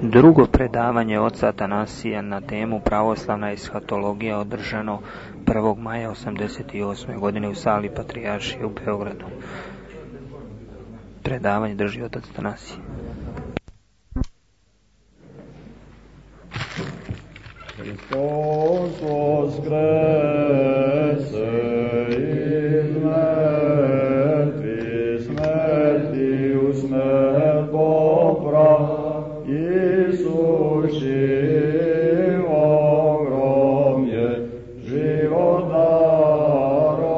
Drugo predavanje oca Atanasija na temu pravoslavna eshatologija održano 1. maja 1988. godine u sali Patrijaršije u Beogradu. Predavanje drži otac Atanasije. Hristos voskrese iz mrtvih, smrti u smrt poprav, Isus živom grom je život darovan.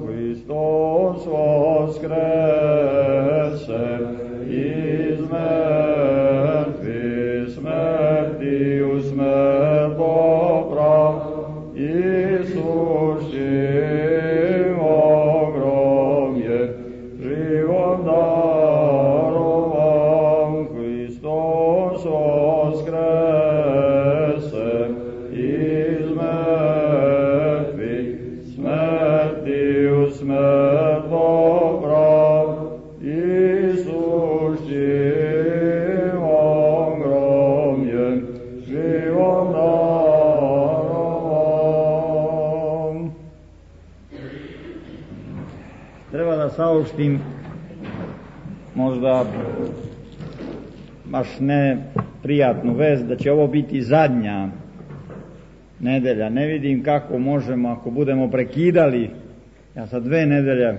Hristos voskrese iz mrtvih, smrti u smrt poprav, Isus živom grom je život darovan. Hristos voskrese iz mrtvih, smrti u smrt poprav, Isus živom grom je život darovan. Treba da saopštim možda baš ne prijatnu vest da će ovo biti zadnja nedelja. Ne vidim kako možemo, ako budemo prekidali, ja sad 2 nedelje,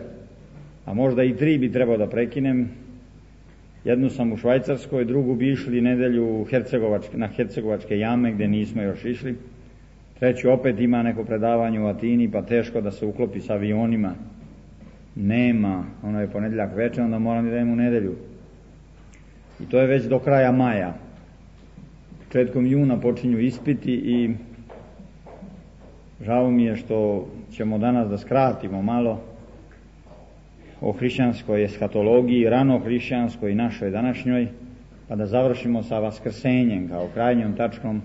a možda i 3 bi trebao da prekinem. Jednu sam u Švajcarskoj, drugu bi išli nedelju na Hercegovačke jame gdje nismo još išli. Treću opet ima neko predavanje u Atini, pa teško da se uklopi s avionima. Nema, ono je ponedjeljak večer, onda moram da idem u nedelju. I to je već do kraja maja. Početkom juna počinju ispiti i žao mi je što ćemo danas da skratimo malo o hrišćanskoj eshatologiji, rano hrišćanskoj i našoj današnjoj, pa da završimo sa vaskrsenjem kao krajnjom tačkom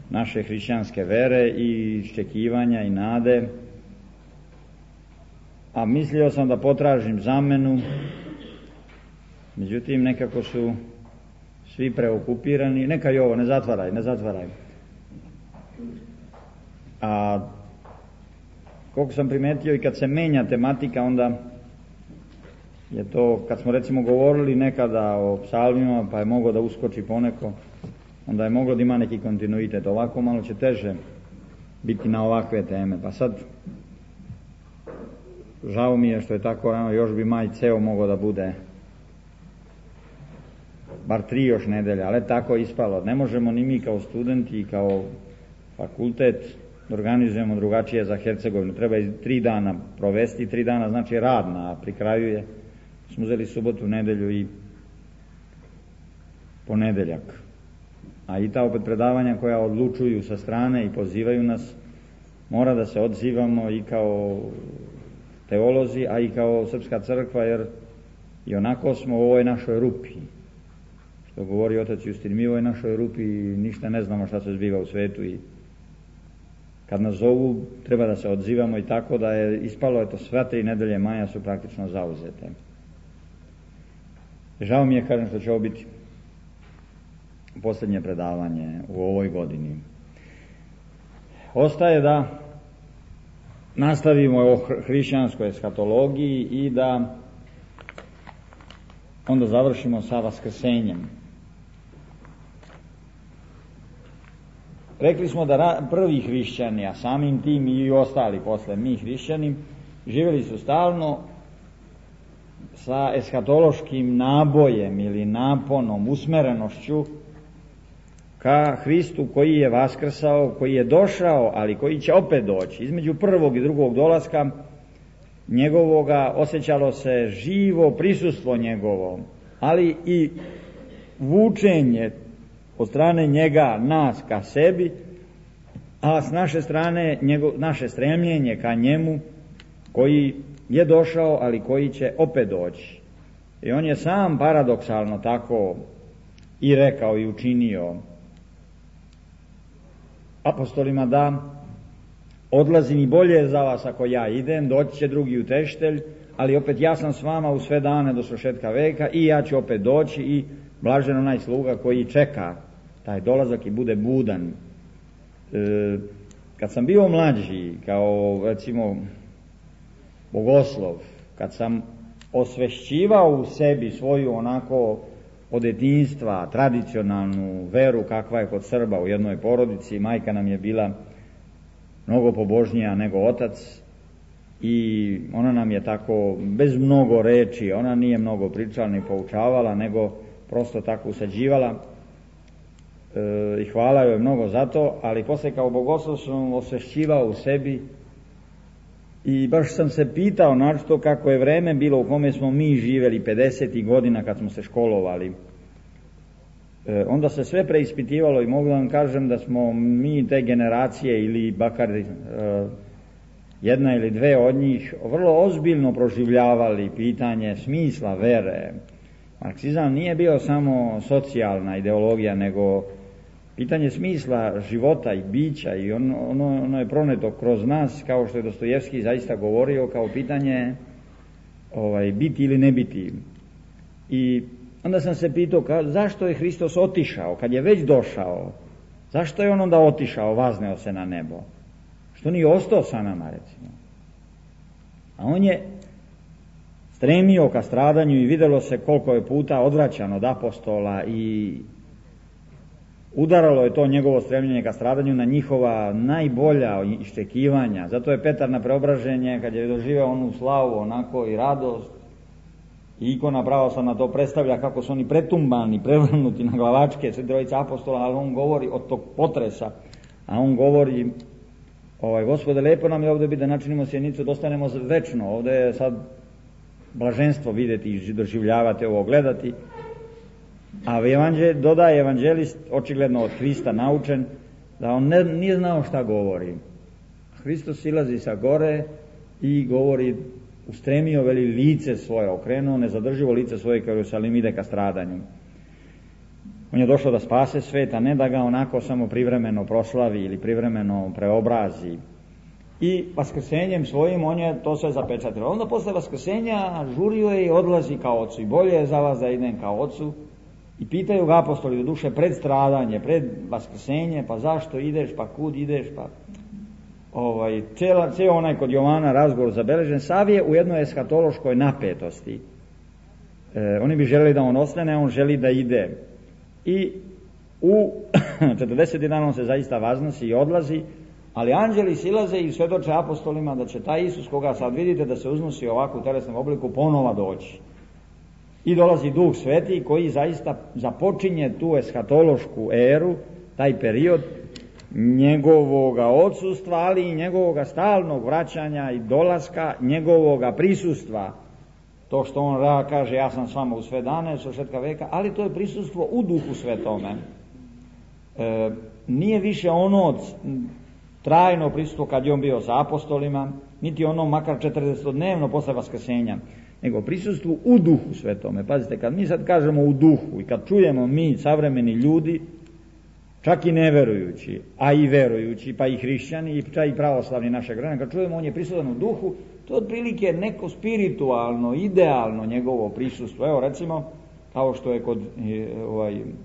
naše hrišćanske vere i iščekivanja i nade. A mislio sam da potražim zamenu, međutim nekako su svi preokupirani. Neka i ovo, ne zatvaraj. A koliko sam primetio i kad se menja tematika, onda je to, kad smo recimo govorili nekada o psalmima, pa je moglo da uskoči poneko, onda je moglo da ima neki kontinuitet. Ovako malo će teže biti na ovakve teme. Pa sad, žao mi je što je tako rano, još bi maj ceo mogao da bude bar 3 još nedelja, ali tako je ispalo. Ne možemo ni mi kao studenti i kao fakultet da organizujemo drugačije za Hercegovinu. Treba 3 dana provesti, 3 dana znači radna, a pri kraju je, smo uzeli subotu, nedelju i ponedeljak. A i ta opet predavanja koja odlučuju sa strane i pozivaju nas, mora da se odzivamo i kao teolozi, a i kao Srpska crkva, jer i onako smo u ovoj našoj rupi. Što govori otac Justin, mi u ovoj našoj rupi ništa ne znamo šta se zbiva u svetu i kad nas zovu treba da se odzivamo, i tako da je ispalo, eto, sve 3 nedelje maja su praktično zauzete. Žao mi je, kažem, što će ovo biti posljednje predavanje u ovoj godini. Ostaje da nastavimo o hrišćanskoj eshatologiji i da onda završimo sa vaskrsenjem. Rekli smo da prvi hrišćani, a samim tim i ostali posle mi hrišćani, živjeli su stalno sa eshatološkim nabojem ili naponom, usmerenošću ka Hristu koji je vaskrsao, koji je došao, ali koji će opet doći. Između prvog i drugog dolaska njegovoga osjećalo se živo prisustvo njegovo, ali i vučenje od strane njega nas ka sebi, a s naše strane naše stremljenje ka njemu koji je došao, ali koji će opet doći. I on je sam paradoksalno tako i rekao i učinio apostolima da odlazim i bolje je za vas ako ja idem, doći će drugi utešitelj, ali opet ja sam s vama u sve dane do svršetka veka i ja ću opet doći i blažen onaj sluga koji čeka taj dolazak i bude budan. Kad sam bio mlađi, kao recimo bogoslov, kad sam osvešćivao u sebi svoju onako od detinjstva tradicionalnu veru kakva je kod Srba u jednoj porodici, majka nam je bila mnogo pobožnija nego otac i ona nam je tako bez mnogo reči, ona nije mnogo pričala ni poučavala, nego prosto tako usađivala i hvala joj mnogo za to, ali posle kao bogoslov sam osvešćivao u sebi i baš sam se pitao našto kako je vreme bilo u kome smo mi živjeli 50. godina kad smo se školovali. Onda se sve preispitivalo i mogu vam kažem da smo mi te generacije ili bakar jedna ili dve od njih vrlo ozbiljno proživljavali pitanje smisla vere. Marksizam nije bio samo socijalna ideologija, nego pitanje smisla života i bića i ono je proneto kroz nas, kao što je Dostojevski zaista govorio, kao pitanje biti ili ne biti. I onda sam se pitao zašto je Hristos otišao, kad je već došao, zašto je on onda otišao, vazneo se na nebo? Što nije ostao sa nama, recimo? A on je stremio ka stradanju i vidjelo se koliko je puta odvraćan od apostola i udaralo je to njegovo stremljenje ka stradanju na njihova najbolja iščekivanja. Zato je Petar na preobraženje, kad je doživeo onu slavu onako i radost, i ikona pravoslavna to predstavlja kako su oni pretumbani, prevrnuti na glavačke, sve trojica apostola, ali on govori od tog potresa, a on govori, Gospode, lepo nam je ovdje biti da načinimo sjenicu, da ostanemo večno, ovdje je sad blaženstvo vidjeti i doživljavati ovo, gledati. A dodaje evanđelist, očigledno od Hrista naučen, da on nije znao šta govori. Hristos silazi sa gore i govori, ustremio, veli, lice svoje, okrenuo, nezadrživo lice svoje kao Jerusalim ide ka stradanju. On je došao da spase svet, a ne da ga onako samo privremeno proslavi ili privremeno preobrazi. I vaskrsenjem svojim on je to sve zapečatio. Onda posle vaskrsenja žurio je i odlazi kao ocu. I bolje je za vas da idem kao ocu. I pitaju ga apostoli do duše pred stradanje, pred vaskrsenje, pa zašto ideš, pa kud ideš, pa cijel onaj kod Jovana razgovor zabeležen, sav je u jednoj eskatološkoj napetosti. Oni bi želeli da on ostane, a on želi da ide. I u 40 dana on se zaista vaznosi i odlazi, ali anđeli silaze i svedoče apostolima da će taj Isus koga sad vidite da se uznosi ovako u telesnom obliku ponova doći. I dolazi Duh Sveti koji zaista započinje tu eskatološku eru, taj period njegovoga odsustva, ali i njegovoga stalnog vraćanja i dolaska, njegovoga prisustva. To što on kaže, ja sam s vama u sve dane, svršetka veka, ali to je prisustvo u Duhu Svetome. Nije više ono trajno prisustvo kad je on bio sa apostolima, niti ono makar 40-dnevno posle vaskrsenja, nego prisustvo u Duhu Svetome. Pazite, kad mi sad kažemo u duhu i kad čujemo mi, savremeni ljudi, čak i neverujući, a i verujući, pa i hrišćani, i čak i pravoslavni našeg vremena, kad čujemo on je prisutan u duhu, to je otprilike neko spiritualno, idealno njegovo prisustvo. Evo recimo, kao što je kod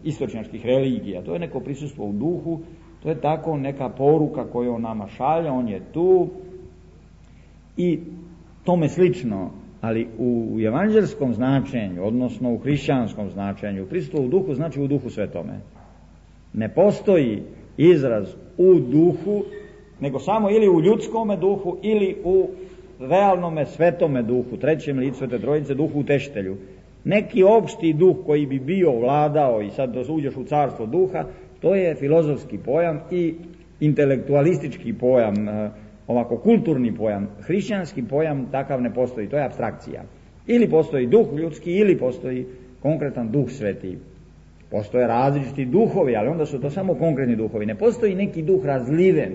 istočnjačkih religija, to je neko prisustvo u duhu, to je tako neka poruka koju on nama šalje, on je tu i tome slično. Ali u evanđelskom značenju, odnosno u hrišćanskom značenju, prisustvo u duhu znači u Duhu Svetome. Ne postoji izraz u duhu, nego samo ili u ljudskome duhu ili u realnome svetome duhu, trećem licu Svete Trojice, duhu utešitelju. Neki opšti duh koji bi bio vladao i sad uđeš u carstvo duha, to je filozofski pojam i intelektualistički pojam, ovako kulturni pojam. Hrišćanski pojam takav ne postoji, to je apstrakcija. Ili postoji duh ljudski ili postoji konkretan Duh Sveti. Postoje različiti duhovi, ali onda su to samo konkretni duhovi. Ne postoji neki duh razliven,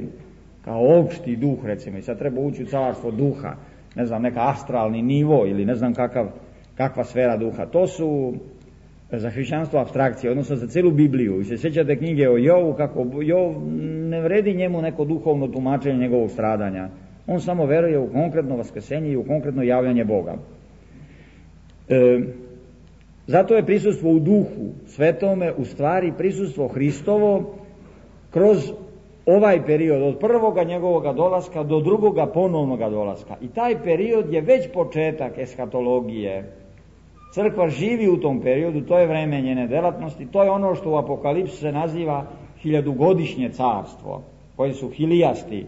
kao opšti duh, recimo, i sad treba ući u carstvo duha, ne znam, neka astralni nivo ili ne znam kakva sfera duha. To su za hrišćanstvo apstrakcije, odnosno za celu Bibliju. Vi se sjećate knjige o Jovu, kako Jov ne vredi njemu neko duhovno tumačenje njegovog stradanja. On samo veruje u konkretno vaskrsenje i u konkretno javljanje Boga. Zato je prisustvo u duhu svetome u stvari prisustvo Hristovo kroz ovaj period od prvoga njegovoga dolaska do drugoga ponovnoga dolaska. I taj period je već početak eshatologije. Crkva živi u tom periodu, to je vreme njene delatnosti, to je ono što u Apokalipsu se naziva hiljadugodišnje carstvo, koji su hilijasti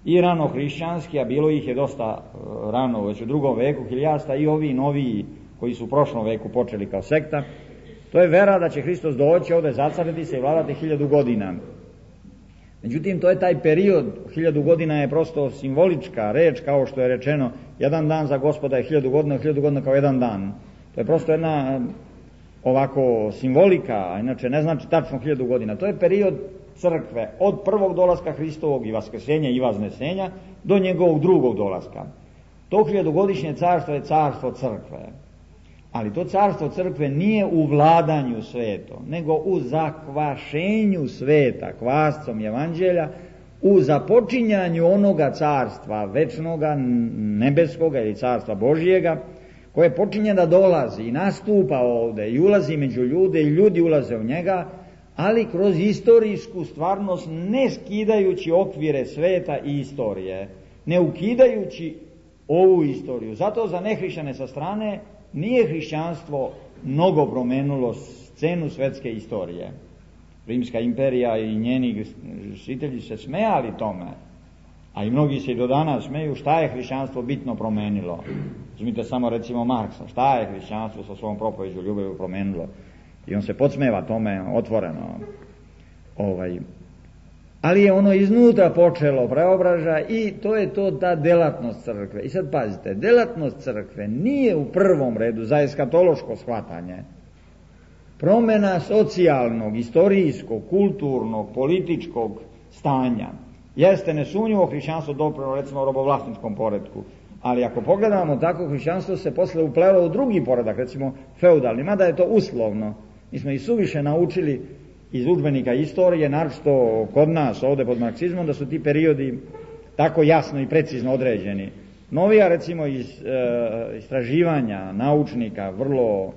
i rano hrišćanski, a bilo ih je dosta rano, već u drugom veku hilijasta, i ovi noviji koji su u prošlom veku počeli kao sekta. To je vera da će Hristos doći ovdje, zacariti se i vladati 1000 godina. Međutim, to je taj period, 1000 godina je prosto simbolička reč, kao što je rečeno, jedan dan za Gospoda je 1000 godina, 1000 godina kao jedan dan. To je prosto jedna ovako simbolika, a inače ne znači tačno 1000 godina. To je period crkve od prvog dolaska Hristovog i vaskrsenja i vaznesenja do njegovog drugog dolaska. To 1000-godišnje carstvo je carstvo crkve. Ali to carstvo crkve nije u vladanju svetom, nego u zakvašenju sveta, kvascom evanđelja, u započinjanju onoga carstva večnoga, nebeskoga ili carstva Božijega, koje počinje da dolazi i nastupa ovdje i ulazi među ljude i ljudi ulaze u njega, ali kroz istorijsku stvarnost, ne skidajući okvire sveta i istorije, ne ukidajući ovu istoriju. Zato za nehrišćane sa strane nije hrišćanstvo mnogo promenilo scenu svetske istorije. Rimska imperija i njeni žitelji se smejali tome, a i mnogi se i do danas smeju šta je hrišćanstvo bitno promenilo. Uzmite samo recimo Marksa, šta je hrišćanstvo sa svojom propoveđu ljubavi promenilo. I on se podsmeva tome otvoreno. Ali je ono iznutra počelo preobraža i to je to ta delatnost crkve. I sad pazite, delatnost crkve nije u prvom redu za eskatološko shvatanje promjena socijalnog, istorijskog, kulturnog, političkog stanja. Jeste nesumnjivo hrišćanstvo doprinijelo recimo u robovlasničkom poretku, ali ako pogledamo tako, hrišćanstvo se posle uplelo u drugi poredak, recimo feudalni, mada je to uslovno. Mi smo i suviše naučili iz udžbenika istorije, naročito kod nas ovdje pod marksizmom, da su ti periodi tako jasno i precizno određeni. Novija recimo iz istraživanja naučnika vrlo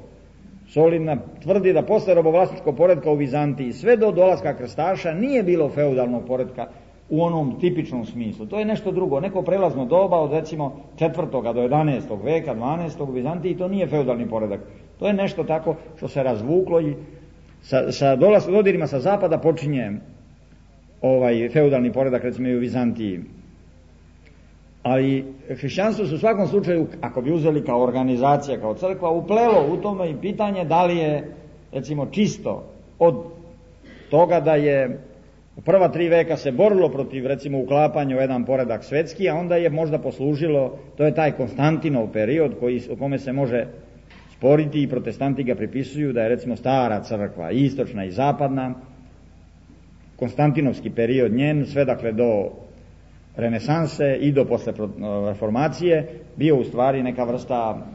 solidna tvrdi da posle robovlasničkog poretka u Vizantiji sve do dolaska krstaša nije bilo feudalnog poretka u onom tipičnom smislu. To je nešto drugo, neko prelazno doba od recimo 4. do 11. veka, 12. u Vizantiji, to nije feudalni poredak. To je nešto tako što se razvuklo i sa dodirima sa zapada počinje feudalni poredak recimo i u Vizantiji. Ali hrišćanstvo se u svakom slučaju, ako bi uzeli kao organizacija, kao crkva, uplelo u tome i pitanje da li je recimo čisto od toga da je u prva 3 veka se borilo protiv recimo uklapanja u jedan poredak svetski, a onda je možda poslužilo, to je taj Konstantinov period o kome se može sporiti i protestanti ga pripisuju da je recimo stara crkva, istočna i zapadna, Konstantinovski period njen, sve dakle do renesanse i do posle reformacije, bio u stvari neka vrsta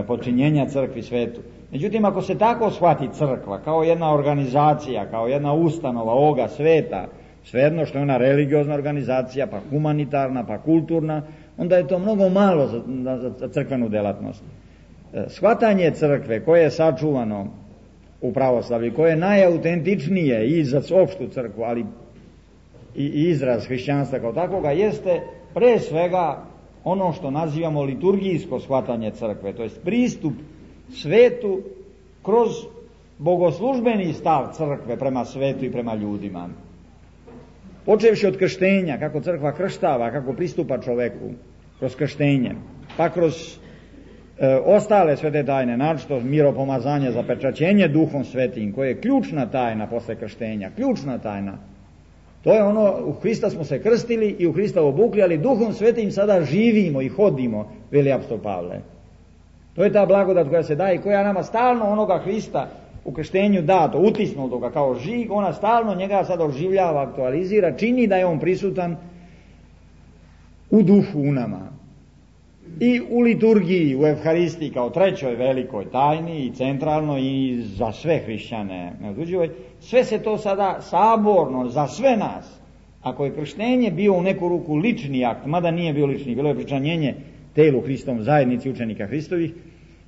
počinjenja crkvi svetu. Međutim, ako se tako shvati crkva kao jedna organizacija, kao jedna ustanova ovoga sveta, svejedno što je ona religiozna organizacija, pa humanitarna, pa kulturna, onda je to mnogo malo za crkvenu delatnost. Shvatanje crkve koje je sačuvano u pravoslavlju, koje je najautentičnije i za opštu crkvu, ali i izraz hrišćanstva kao takvoga, jeste pre svega ono što nazivamo liturgijsko shvatanje crkve, to jest pristup svetu kroz bogoslužbeni stav crkve prema svetu i prema ljudima. Počevši od krštenja, kako crkva krštava, kako pristupa čoveku kroz krštenje, pa kroz ostale svete tajne, naročito miropomazanje, zapečaćenje Duhom Svetim, koje je ključna tajna posle krštenja, ključna tajna. To je ono, u Hrista smo se krstili i u Hrista obukli, ali Duhom Svetim sada živimo i hodimo, veli apostol Pavle. To je ta blagodat koja se daje i koja nama stalno onoga Hrista u krštenju dato, utisnuto ga kao žig, ona stalno njega sada oživljava, aktualizira, čini da je on prisutan u duhu u nama. I u liturgiji, u Evharistiji kao trećoj velikoj tajni i centralno i za sve hrišćane neotuđivoj, sve se to sada saborno za sve nas. Ako je krštenje bio u neku ruku lični akt, mada nije bio lični, bilo je pričanjenje telu Hristovom, zajednici učenika Hristovih,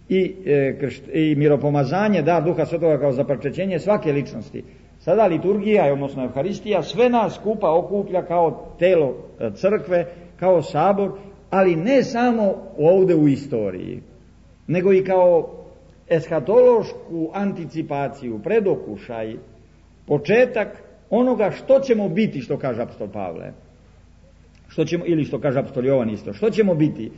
i miropomazanje, dar Duha Svetoga kao zaprčećenje svake ličnosti. Sada liturgija, odnosno Evharistija, sve nas skupa okuplja kao telo crkve, kao sabor, ali ne samo ovde u istoriji, nego i kao eshatološku anticipaciju, predokušaj, početak onoga što ćemo biti, što kaže apostol Pavle, ili što kaže apostol Jovan isto, što ćemo biti.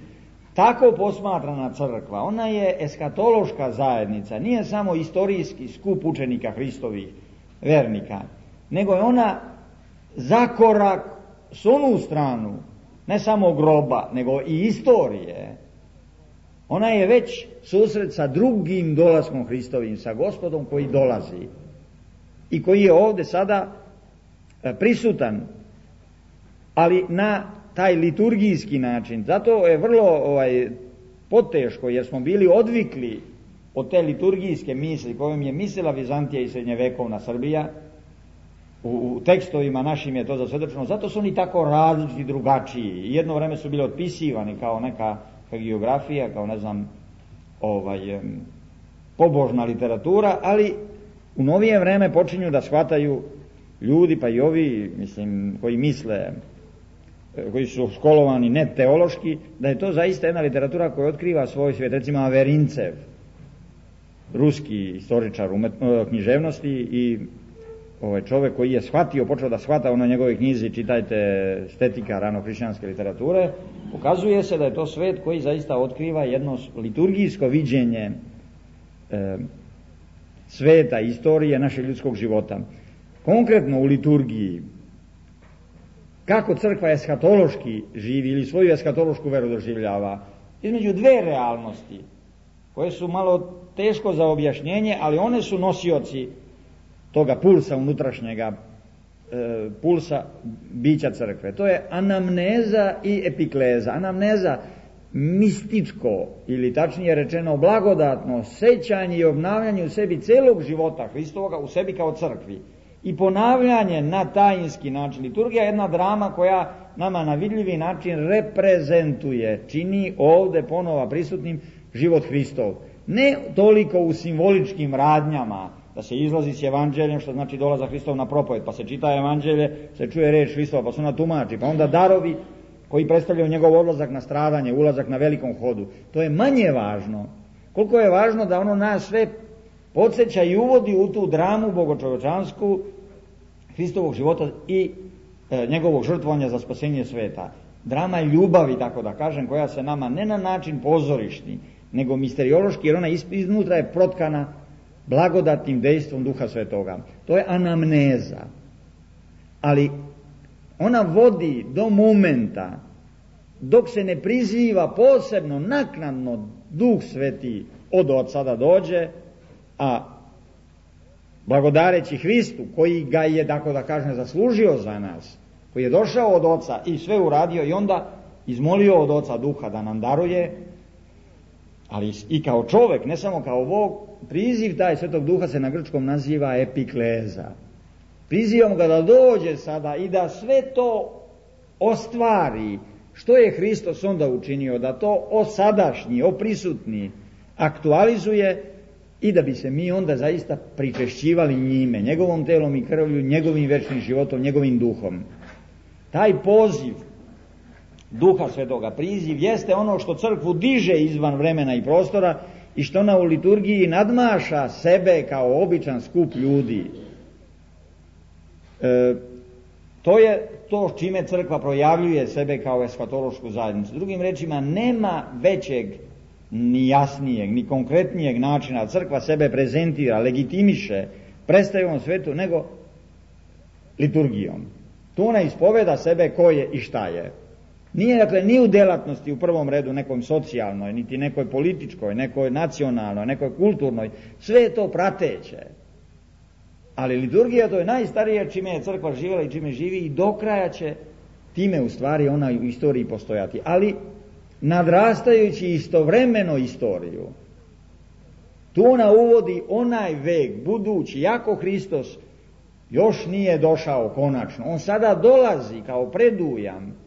Tako posmatrana crkva, ona je eshatološka zajednica, nije samo istorijski skup učenika Hristovih, vernika, nego je ona zakorak s onu stranu, ne samo groba, nego i istorije. Ona je već susret sa drugim dolaskom Hristovim, sa Gospodom koji dolazi i koji je ovde sada prisutan, ali na taj liturgijski način. Zato je vrlo poteško, jer smo bili odvikli od te liturgijske misli kojom je mislila Vizantija i srednjevekovna Srbija. U tekstovima našim je to zasvedočeno, zato su oni tako različiti, drugačiji. Jedno vreme su bili otpisivani kao neka geografija, kao pobožna literatura, ali u novije vreme počinju da shvataju ljudi, pa i ovi, koji misle, koji su školovani ne teološki, da je to zaista jedna literatura koja otkriva svoj svijet. Recimo Averincev, ruski istoričar književnosti i čovjek koji je shvatio, počeo da shvata ono njegove knjizi, čitajte estetika ranohrišćanske literature, pokazuje se da je to svet koji zaista otkriva jedno liturgijsko viđenje sveta, istorije našeg ljudskog života. Konkretno u liturgiji, kako crkva eshatološki živi ili svoju eshatološku veru doživljava, između dve realnosti koje su malo teško za objašnjenje, ali one su nosioci toga pulsa unutrašnjega, pulsa bića crkve. To je anamneza i epikleza. Anamneza, mističko ili tačnije rečeno blagodatno sećanje i obnavljanje u sebi celog života Hristovoga, u sebi kao crkvi. I ponavljanje na tajinski način. Liturgija je jedna drama koja nama na vidljivi način reprezentuje, čini ovde ponova prisutnim život Hristov. Ne toliko u simboličkim radnjama, da se izlazi s evanđeljem, što znači dolazak Hristov na propoved, pa se čita evanđelje, se čuje reč Hristova, pa se ona tumači, pa onda darovi koji predstavljaju njegov odlazak na stradanje, ulazak na velikom hodu. To je manje važno. Koliko je važno da ono nas sve podsjeća i uvodi u tu dramu bogočovečansku Hristovog života i njegovog žrtvovanja za spasenje sveta. Drama ljubavi, tako da kažem, koja se nama ne na način pozorišni, nego misteriološki, jer ona iznutra je protkana blagodatnim dejstvom Duha Svetoga. To je anamneza. Ali ona vodi do momenta dok se ne priziva posebno, naknadno Duh Sveti od Otca da dođe, a blagodareći Hristu, koji ga je, tako da kažem, zaslužio za nas, koji je došao od Oca i sve uradio i onda izmolio od Oca Duha da nam daruje, ali i kao čovek, ne samo kao Bog, priziv taj Svetog Duha se na grčkom naziva epikleza. Prizivam ga da dođe sada i da sve to ostvari, što je Hristos onda učinio, da to osadašnji, oprisutni aktualizuje i da bi se mi onda zaista pričešćivali njime, njegovom telom i krvlju, njegovim večnim životom, njegovim duhom. Taj poziv Duha Svetoga, priziv, jeste ono što crkvu diže izvan vremena i prostora i što ona u liturgiji nadmaša sebe kao običan skup ljudi. To je to čime crkva projavljuje sebe kao eshatološku zajednicu. Drugim rečima, nema većeg, ni jasnijeg, ni konkretnijeg načina crkva sebe prezentira, legitimiše, predstavi ovom svetu, nego liturgijom. Tu ona ispoveda sebe ko je i šta je. Nije, dakle, ni u delatnosti u prvom redu nekoj socijalnoj, niti nekoj političkoj, nekoj nacionalnoj, nekoj kulturnoj, sve je to prateće. Ali liturgija, to je najstarije čime je crkva živjela i čime živi i do kraja će time u stvari ona u istoriji postojati. Ali nadrastajući istovremeno istoriju, tu ona uvodi onaj vek budući, jako Hristos još nije došao konačno. On sada dolazi kao predujam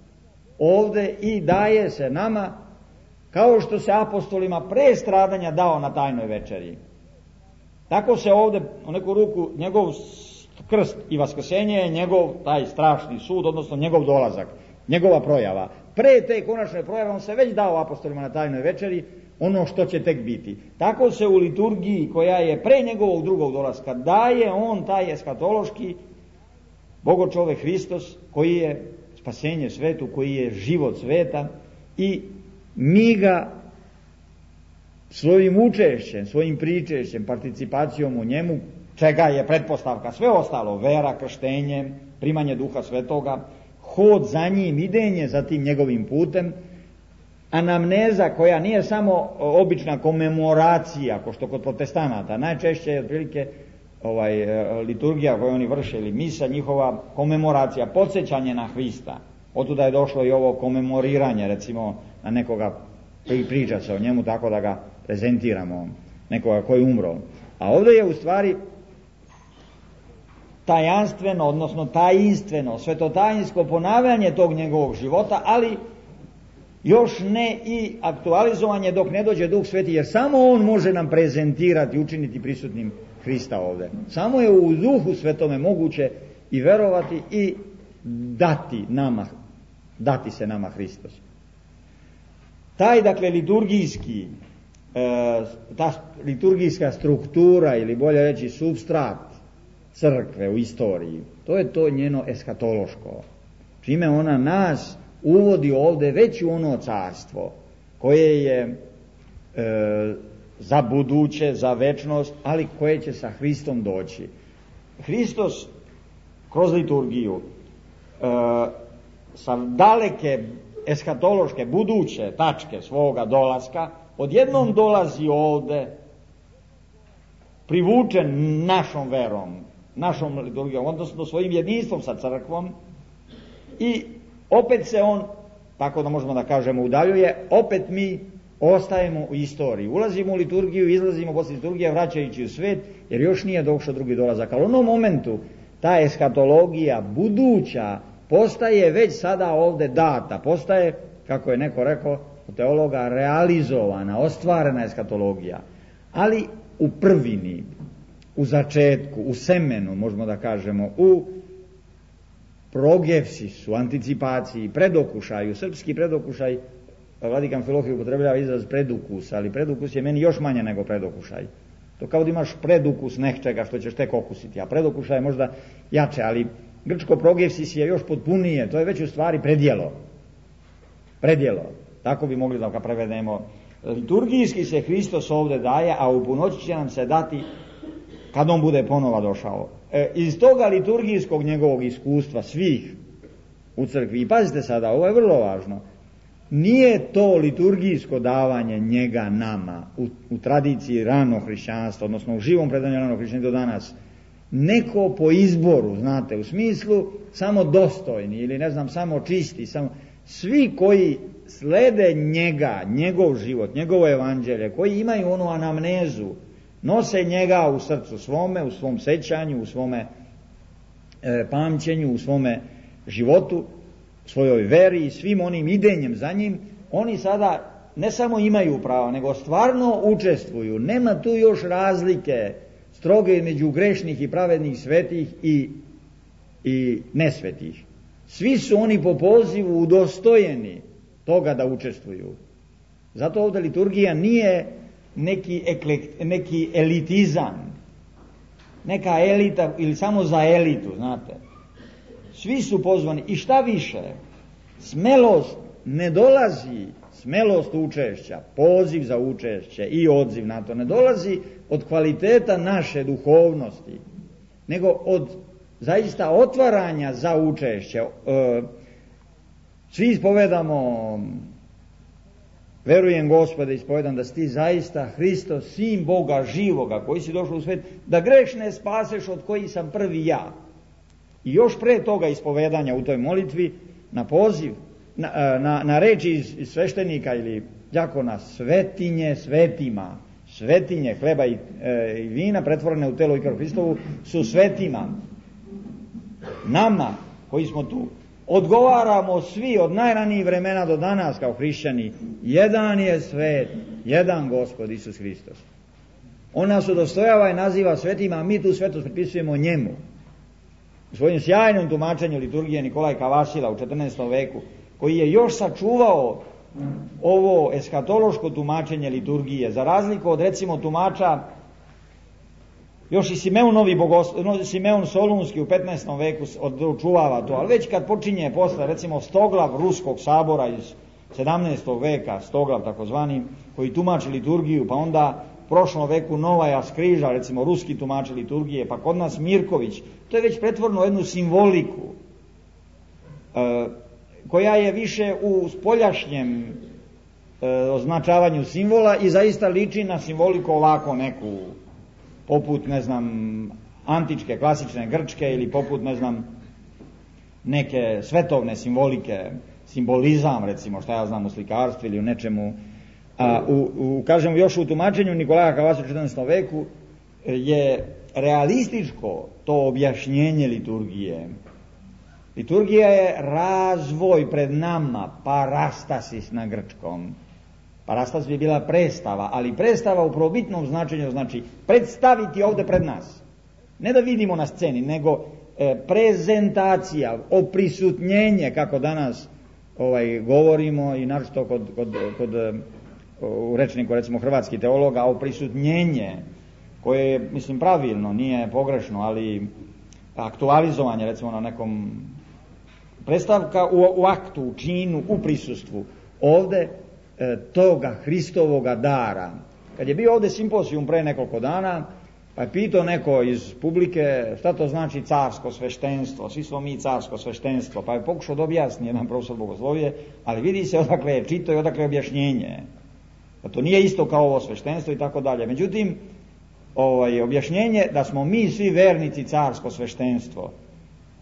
ovde i daje se nama kao što se apostolima pre stradanja dao na tajnoj večeri. Tako se ovde u neku ruku njegov krst i vaskrsenje je njegov taj strašni sud, odnosno njegov dolazak, njegova projava. Pre te konačne projave on se već dao apostolima na tajnoj večeri, ono što će tek biti. Tako se u liturgiji koja je pre njegovog drugog dolaska daje on taj eskatološki Bogočovek Hristos, koji je spasenje svetu, koji je život sveta, i mi ga svojim učešćem, svojim pričešćem, participacijom u njemu, čega je pretpostavka sve ostalo, vera, krštenje, primanje Duha Svetoga, hod za njim, idenje za tim njegovim putem, anamneza koja nije samo obična komemoracija, ko što kod protestanata, najčešće je otprilike liturgija koju oni vrše ili misa, njihova komemoracija, podsjećanje na Hrista. Otuda je došlo i ovo komemoriranje, recimo na nekoga priča se o njemu tako da ga prezentiramo, nekoga koji je umro. A ovdje je u stvari tajanstveno, odnosno tajinstveno, svetotajinsko ponavljanje tog njegovog života, ali još ne i aktualizovanje dok ne dođe Duh Sveti, jer samo on može nam prezentirati, učiniti prisutnim Hrista ovdje. Samo je u Duhu Svetome moguće i verovati i dati se nama Hristos. Taj, dakle, ta liturgijska struktura, ili bolje reći supstrat crkve u istoriji, to je to njeno eskatološko, čime ona nas uvodi ovdje već u ono carstvo koje je za buduće, za večnost, ali koje će sa Hristom doći. Hristos kroz liturgiju sa daleke eskatološke buduće tačke svoga dolaska odjednom dolazi ovdje privučen našom verom, našom liturgijom, odnosno svojim jedinstvom sa crkvom, i opet se on, tako da možemo da kažemo, udaljuje, opet mi ostajemo u istoriji. Ulazimo u liturgiju, izlazimo posle liturgije vraćajući u svet, jer još nije došao drugi dolazak. Ali u onom momentu ta eskatologija buduća postaje već sada ovdje data, postaje, kako je neko rekao od teologa, realizovana, ostvarena eskatologija. Ali u prvini, u začetku, u semenu, možemo da kažemo, u progefsisu, anticipaciji, predokušaju, srpski predokušaj, Vladikan Filohije upotrebljava izraz predukus, ali predukus je meni još manje nego predokušaj. To kao da imaš predukus nečega što ćeš tek okusiti, a predokušaj je možda jače, ali grčko progefsis je još potpunije, to je već u stvari predjelo. Tako bi mogli da ga prevedemo. Liturgijski se Hristos ovdje daje, a u punoći će nam se dati kad on bude ponova došao. Iz toga liturgijskog njegovog iskustva svih u crkvi, i pazite sada, ovo je vrlo važno, nije to liturgijsko davanje njega nama u tradiciji ranog hrišćanstva, odnosno u živom predanju ranog hrišćanstva do danas, neko po izboru, znate, u smislu samo dostojni ili ne znam, samo čisti, svi koji slede njega, njegov život, njegovo evanđelje, koji imaju onu anamnezu, nose njega u srcu svome, u svom sećanju, u svome pamćenju, u svome životu, svojoj veri i svim onim idenjem za njim, oni sada ne samo imaju pravo, nego stvarno učestvuju. Nema tu još razlike stroge između grešnih i pravednih, svetih i nesvetih. Svi su oni po pozivu udostojeni toga da učestvuju. Zato ovdje liturgija nije neki elitizam, neka elita ili samo za elitu, znate. Svi su pozvani, i šta više, smelost ne dolazi, smelost učešća, poziv za učešće i odziv na to ne dolazi od kvaliteta naše duhovnosti, nego od zaista otvaranja za učešće. Svi ispovedamo, verujem Gospode, ispovedam da si ti zaista Hristos, sin Boga živoga, koji si došao u svet, da grešne spaseš od kojih sam prvi ja. I još pre toga ispovedanja u toj molitvi, na poziv, na reči iz sveštenika ili đakona, svetinje svetima, svetinje hleba i vina pretvorene u telo i krv Hristovu su svetima. Nama koji smo tu odgovaramo svi od najranijih vremena do danas kao hrišćani, jedan je svet, jedan Gospod Isus Hristos. On nas udostojava i naziva svetima, a mi tu svetost pripisujemo njemu. U svojim sjajnom tumačenju liturgije Nikolaj Kavasila u 14. veku, koji je još sačuvao ovo eskatološko tumačenje liturgije, za razliku od recimo tumača još i Simeon Solunski u 15. veku očuvava to, ali već kad počinje posle recimo Stoglav Ruskog sabora iz 17. veka, Stoglav takozvani, koji tumači liturgiju, pa onda u prošlom veku Novaja Skriža, recimo ruski tumači liturgije, pa kod nas Mirković, to je već pretvorno jednu simboliku koja je više u spoljašnjem označavanju simbola i zaista liči na simboliku ovako neku, poput, ne znam, antičke, klasične grčke ili poput, ne znam, neke svetovne simbolike, simbolizam, recimo, šta ja znam, u slikarstvu ili u nečemu. Kažem, još u tumačenju Nikolaja Kavasa u 14. veku je realističko to objašnjenje liturgije. Liturgija je razvoj pred nama, parastasis na grčkom. Parastas bi bila predstava, ali predstava u prvobitnom značenju znači predstaviti ovde pred nas. Ne da vidimo na sceni, nego prezentacija, oprisutnjenje, kako danas govorimo i naročito kod u rečniku recimo hrvatskih teologa, oprisutnjenje, koje je, mislim, pravilno, nije pogrešno, ali aktualizovanje recimo na nekom predstavka u aktu, u činu, u prisustvu. Ovde toga Hristovoga dara. Kad je bio ovde simpozijum pre nekoliko dana, pa je pitao neko iz publike šta to znači carsko sveštenstvo, svi smo mi carsko sveštenstvo, pa je pokušao da objasni jedan profesor bogoslovije, ali vidi se odakle je čito i odakle je objašnjenje. Pa to nije isto kao ovo sveštenstvo i tako dalje. Međutim, objašnjenje da smo mi svi vernici carsko sveštenstvo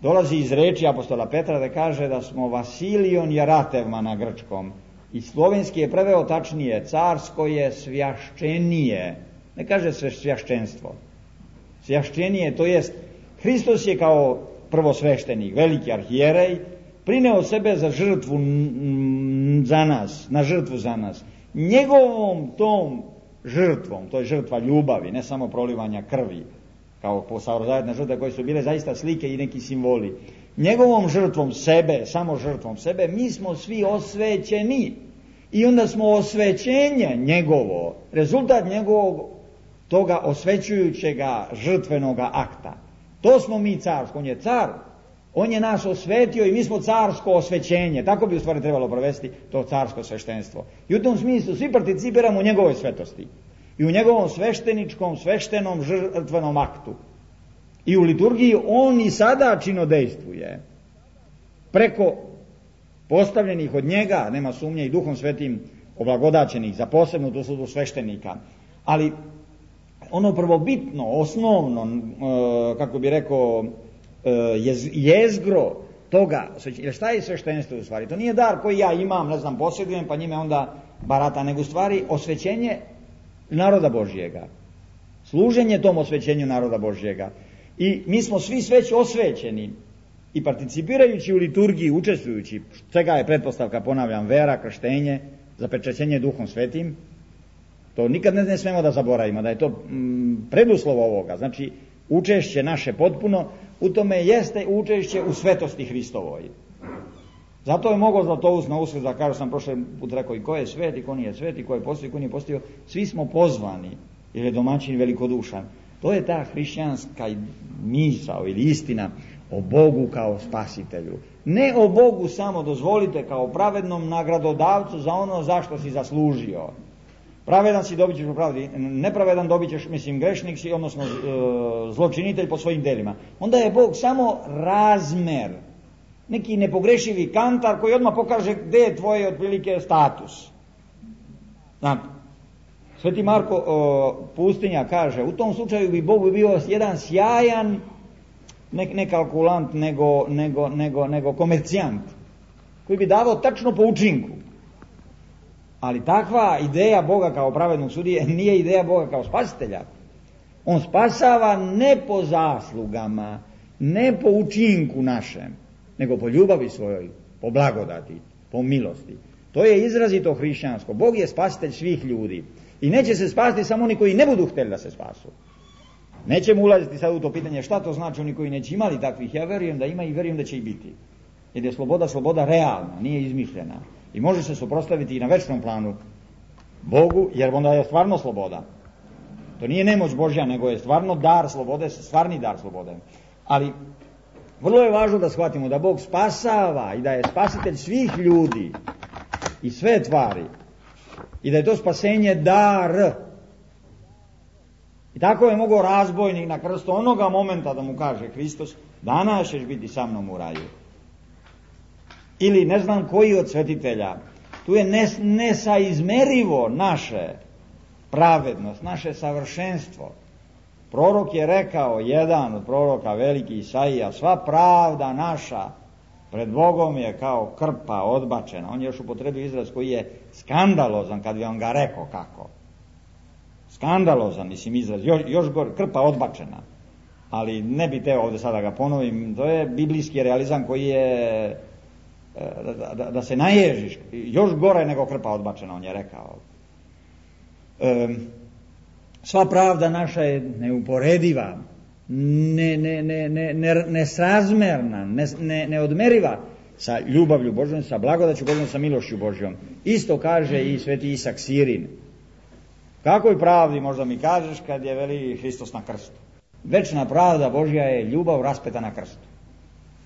dolazi iz reči apostola Petra, da kaže da smo Vasilion Jaratevma na grčkom. I slovenski je preveo tačnije, carsko je svjašćenije, ne kaže svjašćenstvo, svjašćenije, to jest Hristos je kao prvosveštenik, veliki arhijerej, prineo sebe za žrtvu za nas, na žrtvu za nas. Njegovom tom žrtvom, to je žrtva ljubavi, ne samo prolivanja krvi, kao saozajetne žrtve koje su bile zaista slike i neki simboli. Njegovom žrtvom sebe, samo žrtvom sebe, mi smo svi osvećeni. I onda smo osvećenje njegovo, rezultat njegovog toga osvećujućega žrtvenoga akta. To smo mi carsko, on je car, on je nas osvetio i mi smo carsko osvećenje. Tako bi u stvari trebalo provesti to carsko sveštenstvo. I u tom smislu svi participiramo u njegovoj svetosti i u njegovom svešteničkom, sveštenom žrtvenom aktu. I u liturgiji on i sada činodejstvuje preko postavljenih od njega, nema sumnje, i Duhom Svetim oblagodaćenih za posebnu tu službu sveštenika. Ali ono prvobitno, osnovno, kako bi rekao, jezgro toga, jer šta je sveštenstvo u stvari? To nije dar koji ja imam, ne znam, posjedujem, pa njime onda barata, nego u stvari osvećenje naroda Božjega. Služenje tom osvećenju naroda Božjega. I mi smo svi već osvećeni i participirajući u liturgiji, učestvujući, čega je pretpostavka, ponavljam, vera, krštenje, zapečaćenje Duhom Svetim, to nikad ne smemo da zaboravimo, da je to preduslov ovoga. Znači, učešće naše potpuno u tome jeste učešće u svetosti Hristovoj. Zato je mogao Zlatoust na Uskrs da kaže, sam prošle put rekao, i ko je svet i ko nije svet, i ko je postio i ko nije postio, svi smo pozvani, jer je domaćin velikodušan. To je ta hrišćanska misao ili istina o Bogu kao spasitelju. Ne o Bogu samo, dozvolite, kao pravednom nagradodavcu za ono zašto si zaslužio. Pravedan si, dobit ćeš po pravdi, nepravedan dobit ćeš, mislim, grešnik si, odnosno zločinitelj po svojim delima. Onda je Bog samo razmer, neki nepogrešivi kantar koji odmah pokaže gde je tvoj otprilike status. Znate, Sveti Marko Pustinja kaže, u tom slučaju bi Bog bio jedan sjajan, ne kalkulant, nego komercijant, koji bi davao tačno po učinku. Ali takva ideja Boga kao pravednog sudije nije ideja Boga kao spasitelja. On spasava ne po zaslugama, ne po učinku našem, nego po ljubavi svojoj, po blagodati, po milosti. To je izrazito hrišćansko. Bog je spasitelj svih ljudi. I neće se spasiti samo oni koji ne budu htjeli da se spasu. Nećemo ulaziti sad u to pitanje šta to znači oni koji neće imali takvih. Ja verujem da ima i verujem da će i biti. Jer je sloboda realna, nije izmišljena. I može se suprotstaviti i na večnom planu Bogu, jer onda je stvarno sloboda. To nije nemoć Božja, nego je stvarno dar slobode, stvarni dar slobode. Ali vrlo je važno da shvatimo da Bog spasava i da je spasitelj svih ljudi i sve tvari. I da je to spasenje dar. I tako je mogao razbojnik na krstu onoga momenta da mu kaže Hristos, danas ćeš biti sa mnom u raju. Ili ne znam koji od svetitelja. Tu je nesaizmerivo naše pravednost, naše savršenstvo. Prorok je rekao, jedan od proroka, veliki Isaija, sva pravda naša pred Bogom je kao krpa odbačena. On je još upotrebio izraz koji je skandalozan kad bi on ga rekao kako. Skandalozan, mislim, izraz, još gore, krpa odbačena. Ali ne bi teo ovdje sada ga ponovim, to je biblijski realizam koji je da se naježiš, još gore nego krpa odbačena, on je rekao. Sva pravda naša je neuporediva, nesrazmerna, neodmeriva sa ljubavlju Božjom, sa blagodaću Božjom, sa milošću Božjom. Isto kaže i sveti Isak Sirin. Kakoj pravdi možda mi kažeš kad je veli Hristos na krstu? Večna pravda Božja je ljubav raspeta na krstu.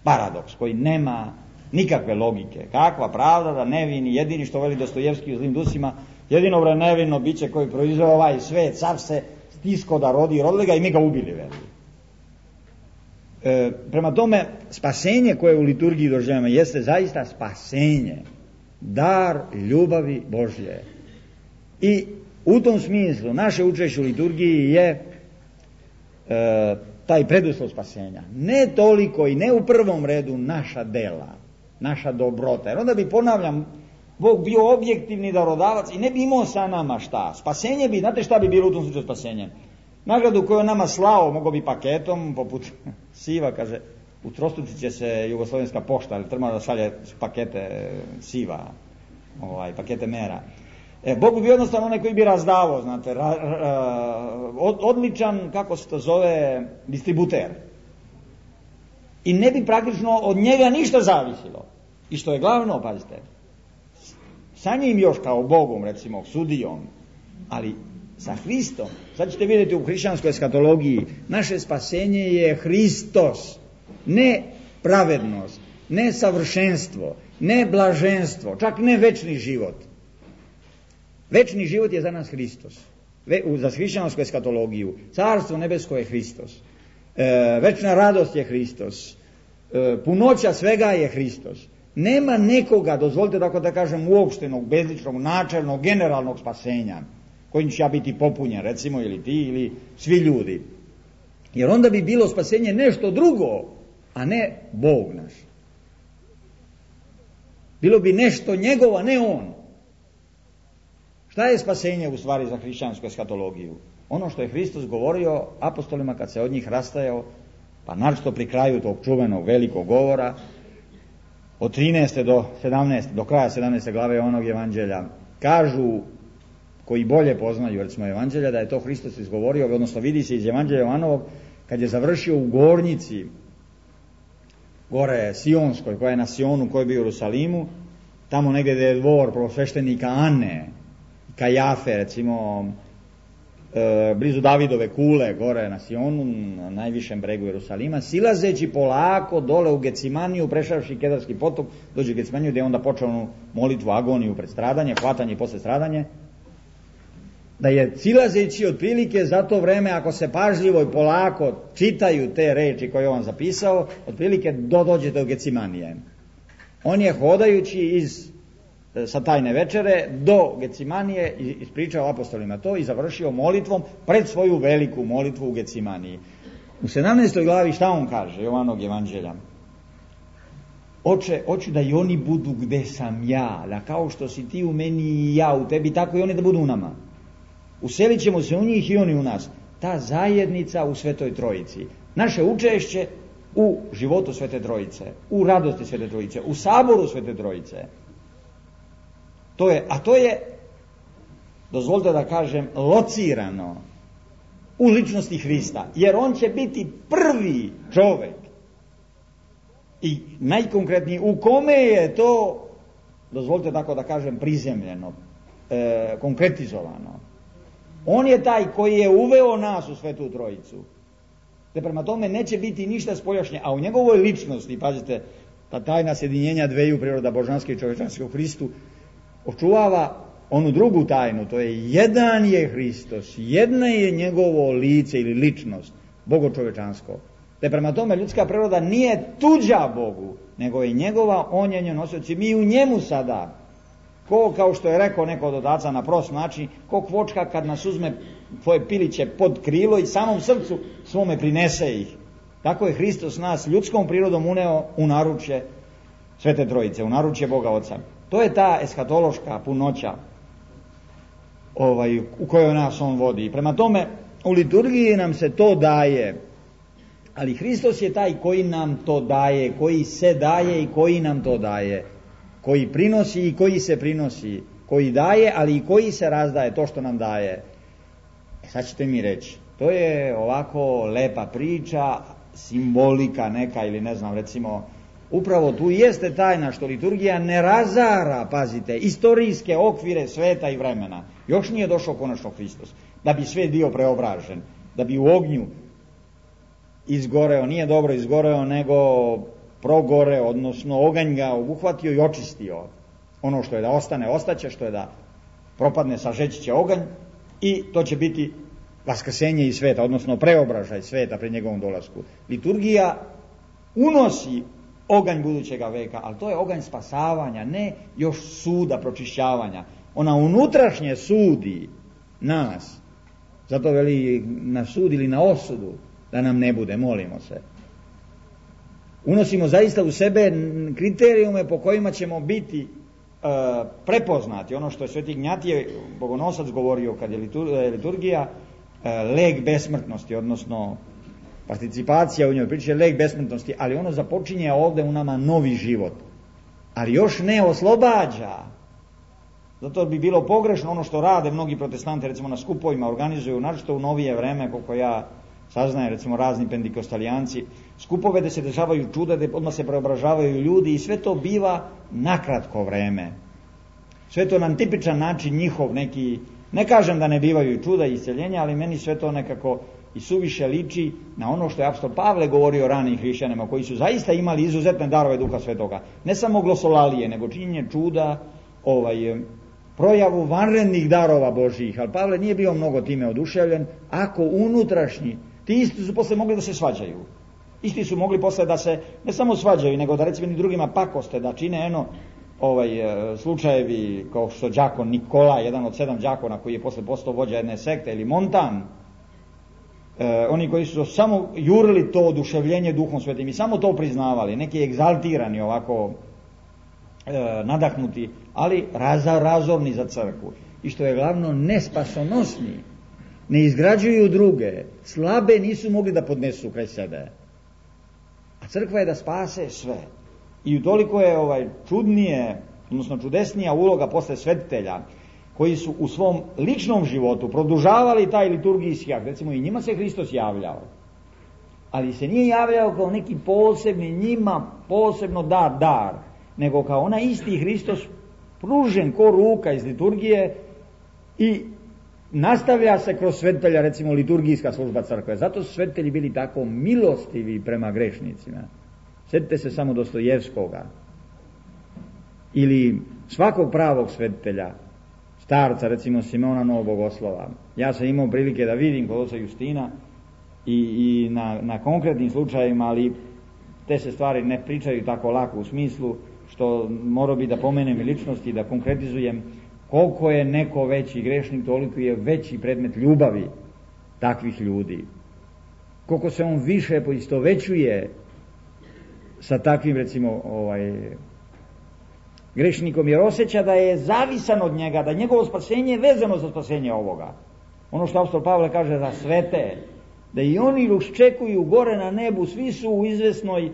Paradoks koji nema nikakve logike. Kakva pravda da nevini, jedini što veli Dostojevski u Zlim dusima, jedino nevino biće koji proizveo ovaj svet, car se stisko da rodi, rodili ga i mi ga ubili, veli. Prema tome, spasenje koje u liturgiji doživljamo jeste zaista spasenje, dar ljubavi Božje. I u tom smislu naše učešće u liturgiji je taj preduslov spasenja. Ne toliko i ne u prvom redu naša dela, naša dobrota. Jer onda bi, ponavljam, Bog bio objektivni darodavac i ne bi imao sa nama šta. Spasenje bi, znate šta bi bilo u tom slučaju spasenje? Nagradu koju on nama slao, mogo bi paketom, poput siva, kaže, utrostručit će se Jugoslovenska pošta, ali treba da šalje pakete siva, pakete mera. Bog bi bio jednostavno onaj koji bi razdavao, znate, odličan, kako se to zove, distributer. I ne bi praktično od njega ništa zavisilo. I što je glavno, pazite, sa njim još kao Bogom, recimo, sudijom, ali sa Hristom, sad ćete vidjeti u hrišćanskoj eskatologiji, naše spasenje je Hristos, ne pravednost, ne savršenstvo, ne blaženstvo, čak ne večni život. Večni život je za nas Hristos. Za hrišćansku eskatologiju. Carstvo nebesko je Hristos. Večna radost je Hristos. Punoća svega je Hristos. Nema nekoga, dozvolite tako da kažem, uopštenog, bezličnog, načelnog, generalnog spasenja kojim će ja biti popunjen, recimo, ili ti, ili svi ljudi. Jer onda bi bilo spasenje nešto drugo, a ne Bog naš. Bilo bi nešto njegov, a ne on. Šta je spasenje u stvari za hrišćansku eskatologiju? Ono što je Hristos govorio apostolima kad se od njih rastajao, pa naročito pri kraju tog čuvenog velikog govora, od 13. do 17. do kraja 17. glave onog evanđelja, kažu koji bolje poznaju recimo evanđelja da je to Hristos izgovorio, odnosno vidi se iz evanđelja Jovanovog kad je završio u gornjici gore Sionskoj, koja je na Sionu, koja je bio u Jerusalimu, tamo negdje je dvor prvosveštenika Ane, Kajafe, recimo, blizu Davidove kule, gore na Sionu, na najvišem bregu Jerusalima, silazeći polako dole u Gecimaniju, prešavši Kedarski potok, dođe u Gecimaniju gdje je onda počeo molitvu, agoniju pred stradanje, hvatanje i posle stradanje, da je silazeći otprilike za to vreme, ako se pažljivo i polako čitaju te reči koje je on zapisao, otprilike dođete u Gecimanije. On je hodajući sa tajne večere do Gecimanije ispričao apostolima to i završio molitvom pred svoju veliku molitvu u Gecimaniji. U 17. glavi šta on kaže, Jovanog evanđelja? Oče, hoću da i oni budu gde sam ja, da kao što si ti u meni i ja u tebi, tako i oni da budu u nama. Uselit ćemo se u njih i oni u nas. Ta zajednica u Svetoj Trojici. Naše učešće u životu Svete Trojice, u radosti Svete Trojice, u saboru Svete Trojice. To je, dozvolite da kažem, locirano u ličnosti Hrista, jer on će biti prvi čovjek i najkonkretniji u kome je to, dozvolite tako da kažem, prizemljeno, konkretizovano. On je taj koji je uveo nas u Svetu Trojicu. Te prema tome neće biti ništa spoljašnje, a u njegovoj ličnosti, pazite, ta tajna sjedinjenja dveju priroda božanske i čovječanske u Hristu očuvava onu drugu tajnu, to je jedan je Hristos, jedna je njegovo lice ili ličnost, bogočovečansko. Te prema tome ljudska priroda nije tuđa Bogu, nego je njegova, on je njen nosioc i mi u njemu sada. Kao što je rekao neko od otaca na prost način, ko kvočka kad nas uzme tvoje piliće pod krilo i samom srcu svome prinese ih. Tako je Hristos nas ljudskom prirodom uneo u naručje Svete Trojice, u naručje Boga Oca. To je ta eskatološka punoća u kojoj nas on vodi. Prema tome, u liturgiji nam se to daje, ali Hristos je taj koji nam to daje, koji se daje i koji nam to daje, koji prinosi i koji se prinosi, koji daje, ali i koji se razdaje, to što nam daje. Sad ćete mi reći, to je ovako lepa priča, simbolika neka ili ne znam, recimo, upravo tu jeste tajna što liturgija ne razara, pazite, istorijske okvire sveta i vremena. Još nije došao konačno Hristos, da bi svet bio preobražen, da bi u ognju izgoreo, nije dobro izgoreo, nego progore, odnosno oganj ga obuhvatio i očistio. Ono što je da ostane, ostaće, što je da propadne, sažeći će oganj i to će biti vaskrsenje iz sveta, odnosno preobražaj sveta pred njegovom dolasku. Liturgija unosi oganj budućega veka, ali to je oganj spasavanja, ne još suda, pročišćavanja. Ona unutrašnje sudi nas, zato veli na sud ili na osudu, da nam ne bude, molimo se. Unosimo zaista u sebe kriterijume po kojima ćemo biti prepoznati. Ono što je Sveti Ignjatije Bogonosac govorio kad je liturgija, lek besmrtnosti, odnosno participacija u njoj, priče lek besmrtnosti, ali ono započinje ovdje u nama novi život, ali još ne oslobađa. Zato bi bilo pogrešno ono što rade mnogi protestanti, recimo na skupovima organizuju, naročito u novije vreme, koliko ja saznajem, recimo razni pentikostalijanci, skupove da se dešavaju čuda, da odmah se preobražavaju ljudi i sve to biva nakratko vreme. Sve to na tipičan način njihov neki, ne kažem da ne bivaju čuda i isceljenja, ali meni sve to nekako i suviše liči na ono što je apostol Pavle govorio ranim hrišćanima, koji su zaista imali izuzetne darove Duha Svetoga. Ne samo glosolalije, nego činjenje čuda, projavu vanrednih darova Božjih, ali Pavle nije bio mnogo time oduševljen, ako unutrašnji, ti isti su posle mogli da se svađaju. Isti su mogli posle da se ne samo svađaju, nego da recimo ni drugima pakoste, da čine slučajevi kao što đakon Nikola, jedan od 7 đakona koji je posle postao vođa jedne sekte, ili Montan, oni koji su samo jurili to oduševljenje Duhom Svetim i samo to priznavali, neki egzaltirani ovako nadahnuti, ali razorni za crkvu. I što je glavno, nespasonosni, ne izgrađuju druge, slabe nisu mogli da podnesu kraj sebe. A crkva je da spase sve. I utoliko je čudnije, odnosno čudesnija uloga posle svetitelja, koji su u svom ličnom životu produžavali taj liturgijski akt. Recimo i njima se Hristos javljao, ali se nije javljao kao neki posebni, njima posebno dar, nego kao onaj isti Hristos pružen ko ruka iz liturgije i nastavlja se kroz svetitelja, recimo liturgijska služba crkve. Zato su svetitelji bili tako milostivi prema grešnicima. Sjetite se samo Dostojevskoga ili svakog pravog svetitelja, starca, recimo Simeona Novog Bogoslova. Ja sam imao prilike da vidim kod oca Justina i na konkretnim slučajevima, ali te se stvari ne pričaju tako lako u smislu što morao bi da pomenem i ličnosti, da konkretizujem koliko je neko veći grešnik, toliko je veći predmet ljubavi takvih ljudi. Koliko se on više poistovećuje sa takvim, recimo, grešnikom, jer osjeća da je zavisan od njega, da njegovo spasenje je vezano za spasenje ovoga. Ono što apostol Pavle kaže za svete, da i oni iščekuju gore na nebu, svi su u izvesnoj,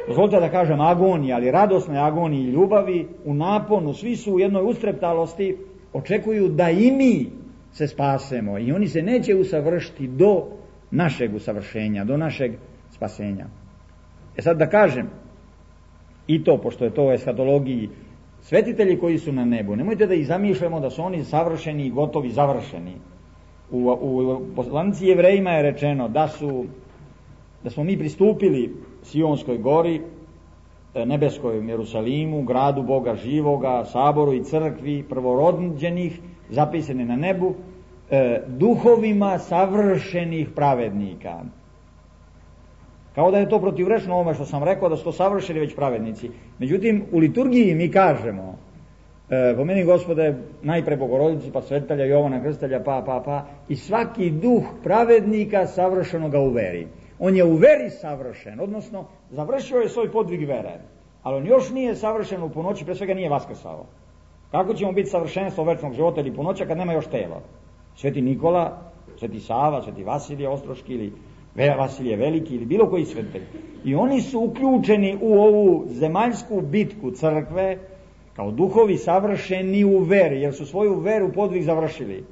dozvolite da kažem agoniji, ali radosnoj agoniji i ljubavi, u naponu, svi su u jednoj ustreptalosti, očekuju da i mi se spasemo i oni se neće usavršiti do našeg usavršenja, do našeg spasenja. Sad da kažem i to, pošto je to u eskatologiji, svetitelji koji su na nebu, nemojte da ih zamišljamo da su oni savršeni i gotovi, završeni. U poslanici Jevrejima je rečeno da smo mi pristupili Sionskoj gori, nebeskoj Jerusalimu, gradu Boga živoga, saboru i crkvi prvorođenih, zapisane na nebu, duhovima savršenih pravednika. Kao da je to protivrečno ovome što sam rekao, da su to savršeni već pravednici. Međutim, u liturgiji mi kažemo, pomeni Gospode najpre Bogorodicu, pa svetitelja Jovana Krstitelja, pa, i svaki duh pravednika savršeno ga u veri. On je u veri savršen, odnosno završio je svoj podvig vere, ali on još nije savršen u punoći, pre svega nije vaskrsao. Kako ćemo biti savršenstvo večnog života ili punoća kad nema još telo? Sveti Nikola, Sveti Sava, Sveti Vasilije Ostroški ili Vasilije Veliki ili bilo koji svetitelj. I oni su uključeni u ovu zemaljsku bitku crkve kao duhovi savršeni u veri, jer su svoju veru podvig završili.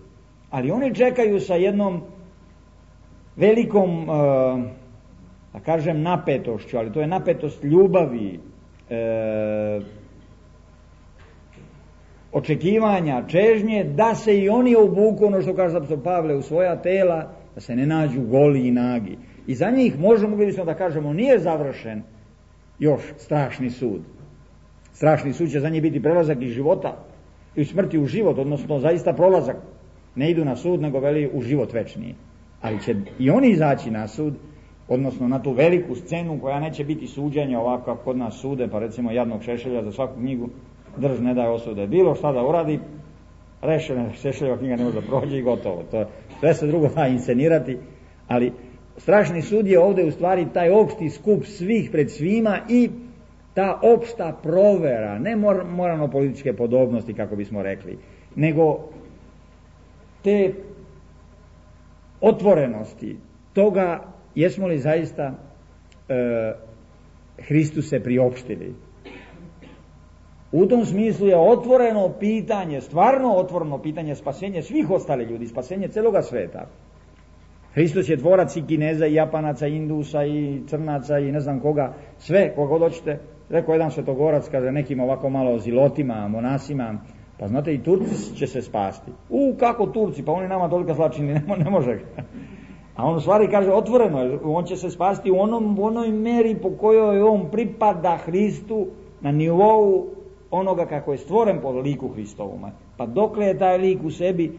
Ali oni čekaju sa jednom velikom, da kažem, napetošću, ali to je napetost ljubavi, očekivanja, čežnje, da se i oni obuku, ono što kaže apostol Pavle, u svoja tela, da se ne nađu goli i nagi. I za njih mogli bismo da kažemo, nije završen još strašni sud. Strašni sud će za njih biti prelazak iz života i smrti u život, odnosno zaista prolazak. Ne idu na sud, nego veli u život večni. Ali će i oni izaći na sud, odnosno na tu veliku scenu koja neće biti suđenja ovako kako kod nas sude, pa recimo jadnog Šešelja za svaku knjigu drž ne daje osude. Bilo šta da uradi, rešena Šešeljeva knjiga ne može da prođe i gotovo. Sve se drugo da inscenirati, ali strašni sud je ovdje u stvari taj opšti skup svih pred svima i ta opšta provera, ne moralno-političke podobnosti, kako bismo rekli, nego te otvorenosti toga jesmo li zaista Hristuse priopštili. U tom smislu je otvoreno pitanje, stvarno otvoreno pitanje spasenje svih ostalih ljudi, spasenje celoga sveta. Hristos je tvorac i Kineza, i Japanaca, i Indusa, i Crnaca, i ne znam koga, sve, koga hoćete. Rekao jedan svetogorac, kaže nekim ovako malo zilotima, monasima, pa znate i Turci će se spasti. Kako Turci, pa oni nama toliko zlačini, ne može. A on u stvari kaže otvoreno, on će se spasti u onoj meri po kojoj on pripada Hristu na nivou onoga kako je stvoren po liku Hristovom. Pa dokle je taj lik u sebi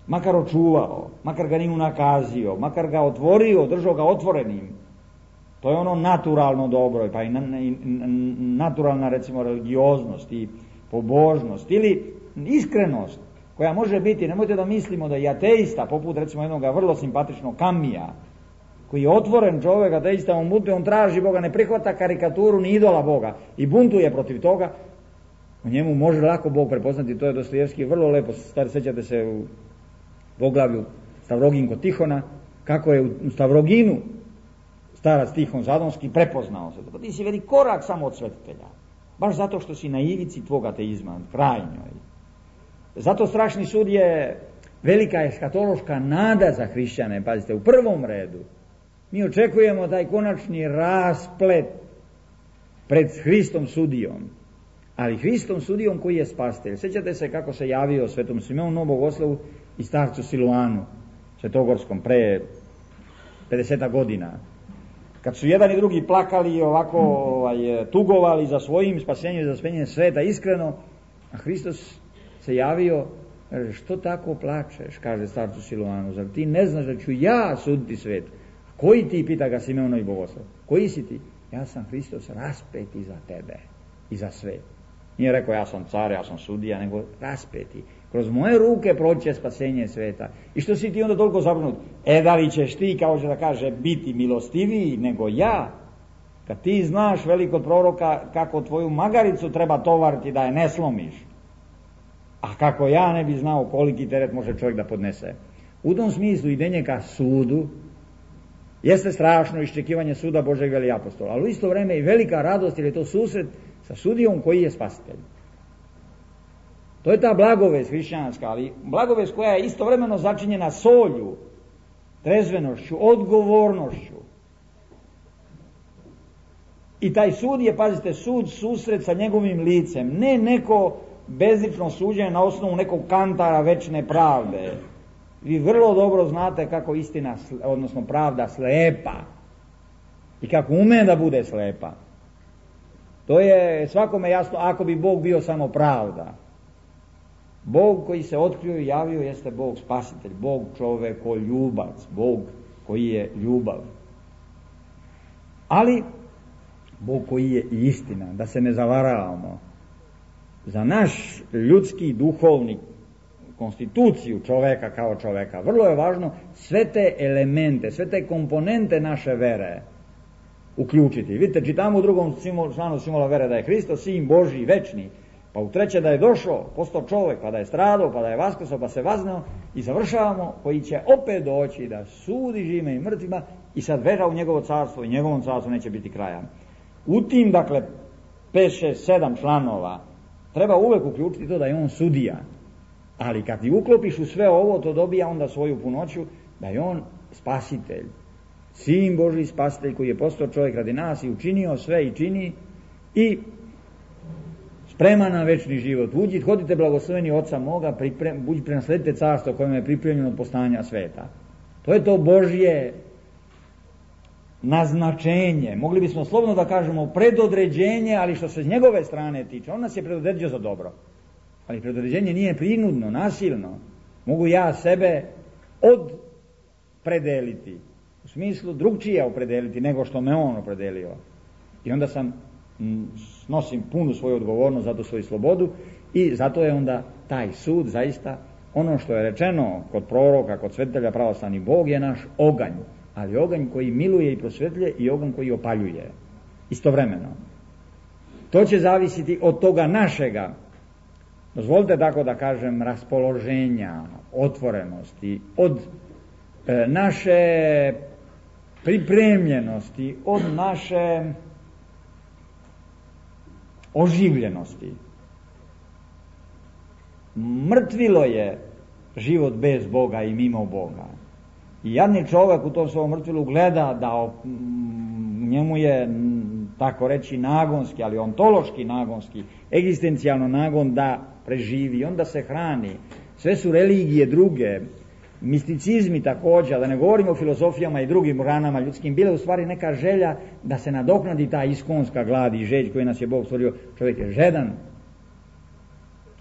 makar očuvao, makar ga nije unakazio, makar ga otvorio, držao ga otvorenim. To je ono naturalno dobro, pa i naturalna recimo religioznost i pobožnost ili iskrenost koja može biti, nemojte da mislimo da i ateista, poput recimo jednog vrlo simpatičnog Kamija, koji je otvoren čovjek, ateista, on traži Boga, ne prihvata karikaturu ni idola Boga i buntuje protiv toga, u njemu može lako Bog prepoznati, to je Dostojevski vrlo lepo, sjećate se u poglavlju Stavrogin kod Tihona, kako je u Stavroginu starac Tihon Zadonski prepoznao se. Pa ti si veli korak samo od svetitelja, baš zato što si na ivici tvog ateizma, krajnjoj. Zato strašni sud je velika eskatološka nada za hrišćane, pazite, u prvom redu. Mi očekujemo taj konačni rasplet pred Hristom sudijom, ali Hristom sudijom koji je spastelj. Sjećate se kako se javio svetom Simeonu Bogoslovu i starcu Siluanu, svetogorskom, pre 50 godina. Kad su jedan i drugi plakali i ovako tugovali za svojim spasenjem i za spasenjem sveta iskreno, a Hristos se javio, kaže, što tako plačeš, kaže starcu Siluanu, zar ti ne znaš da ću ja suditi svet? Koji ti, pita ga Simeono i Bogoslav, koji si ti? Ja sam Hristos raspeti za tebe i za svet. Nije rekao ja sam car, ja sam sudija, nego raspeti. Kroz moje ruke proći spasenje sveta. I što si ti onda toliko zabrinut? Da li ćeš ti, kao će da kaže, biti milostiviji nego ja? Kad ti znaš velikog proroka kako tvoju magaricu treba tovariti da je ne slomiš. A kako ja ne bi znao koliki teret može čovjek da podnese. U tom smislu idenje ka sudu jeste strašno iščekivanje suda Božeg, veli apostol, ali u isto vreme i velika radost, jer je to susret sa sudijom koji je spasitelj. To je ta blagovest hrišćanska, ali blagovest koja je istovremeno začinjena solju, trezvenošću, odgovornošću. I taj sud je, pazite, sud, susret sa njegovim licem, ne neko bezlično suđenje na osnovu nekog kantara večne pravde. Vi vrlo dobro znate kako istina, odnosno pravda, slepa i kako ume da bude slepa. To je svakome jasno ako bi Bog bio samo pravda. Bog koji se otkrio i javio jeste Bog spasitelj, Bog čovekoljubac, Bog koji je ljubav. Ali Bog koji je i istina, da se ne zavaravamo. Za naš ljudski duhovni konstituciju čoveka kao čoveka vrlo je važno sve te elemente, sve te komponente naše vere uključiti. Vidite, čitamo u 2. članu simbola vere da je Hristos sin Božji večni, pa u 3. da je došao, postao čovek, pa da je stradao, pa da je vaskrsao, pa se vazneo, i završavamo koji će opet doći da sudi živima i mrtvima i sad veža u njegovo carstvo i njegovom carstvu neće biti kraja. U tim, dakle, 5, 6, 7 članova treba uvek uključiti to da je on sudija. Ali kad ti uklopiš u sve ovo, to dobija onda svoju punoću da je on spasitelj. Sin Božji spasitelj koji je postao čovjek radi nas i učinio sve i čini i spreman na večni život. Hodite blagosloveni Oca moga, prenasledite carstvo kojem je pripremljeno od postanja sveta. To je to Božje naznačenje. Mogli bismo slobodno da kažemo predodređenje, ali što se s njegove strane tiče, on nas je predodređio za dobro. Ali predodređenje nije prinudno, nasilno. Mogu ja sebe odpredeliti, u smislu drugčije opredeliti nego što me on opredelio. I onda snosim punu svoju odgovornost, zato svoju slobodu, i zato je onda taj sud zaista ono što je rečeno kod proroka, kod svetitelja pravoslavni, Bog je naš oganj, ali oganj koji miluje i prosvetljuje i oganj koji opaljuje istovremeno. To će zavisiti od toga našega, dozvolite tako da kažem, raspoloženja, otvorenosti, od naše pripremljenosti, od naše oživljenosti. Mrtvilo je život bez Boga i mimo Boga. I jadni čovjek u tom svom mrtvilu gleda da njemu je, tako reći, nagonski, ali ontološki nagonski, egzistencijalno nagon da preživi, onda se hrani. Sve su religije druge, misticizmi također, da ne govorimo o filozofijama i drugim ranama ljudskim, bile u stvari neka želja da se nadoknadi ta iskonska glad i žeđ koju nas je Bog stvorio. Čovjek je žedan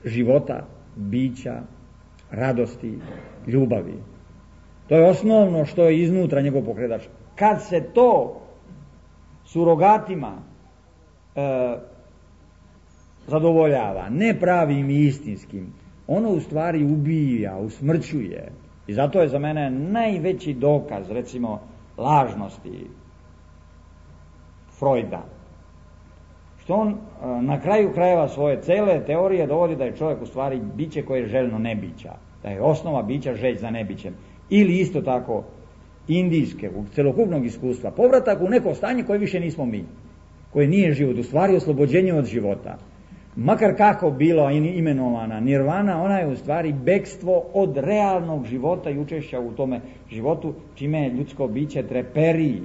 života, bića, radosti, ljubavi. To je osnovno što je iznutra njegov pokretač. Kad se to surogatima zadovoljava, ne pravim i istinskim, ono u stvari ubija, usmrćuje. I zato je za mene najveći dokaz, recimo, lažnosti Freuda, što on na kraju krajeva svoje cele teorije dovodi da je čovjek u stvari biće koje je željno nebića, da je osnova bića žeđ za nebićem. Ili isto tako indijske, u celokupnog iskustva, povratak u neko stanje koje više nismo mi, koje nije život, u stvari oslobođenje od života. Makar kako bilo imenovana nirvana, ona je u stvari bekstvo od realnog života i učešća u tome životu, čime ljudsko biće treperi.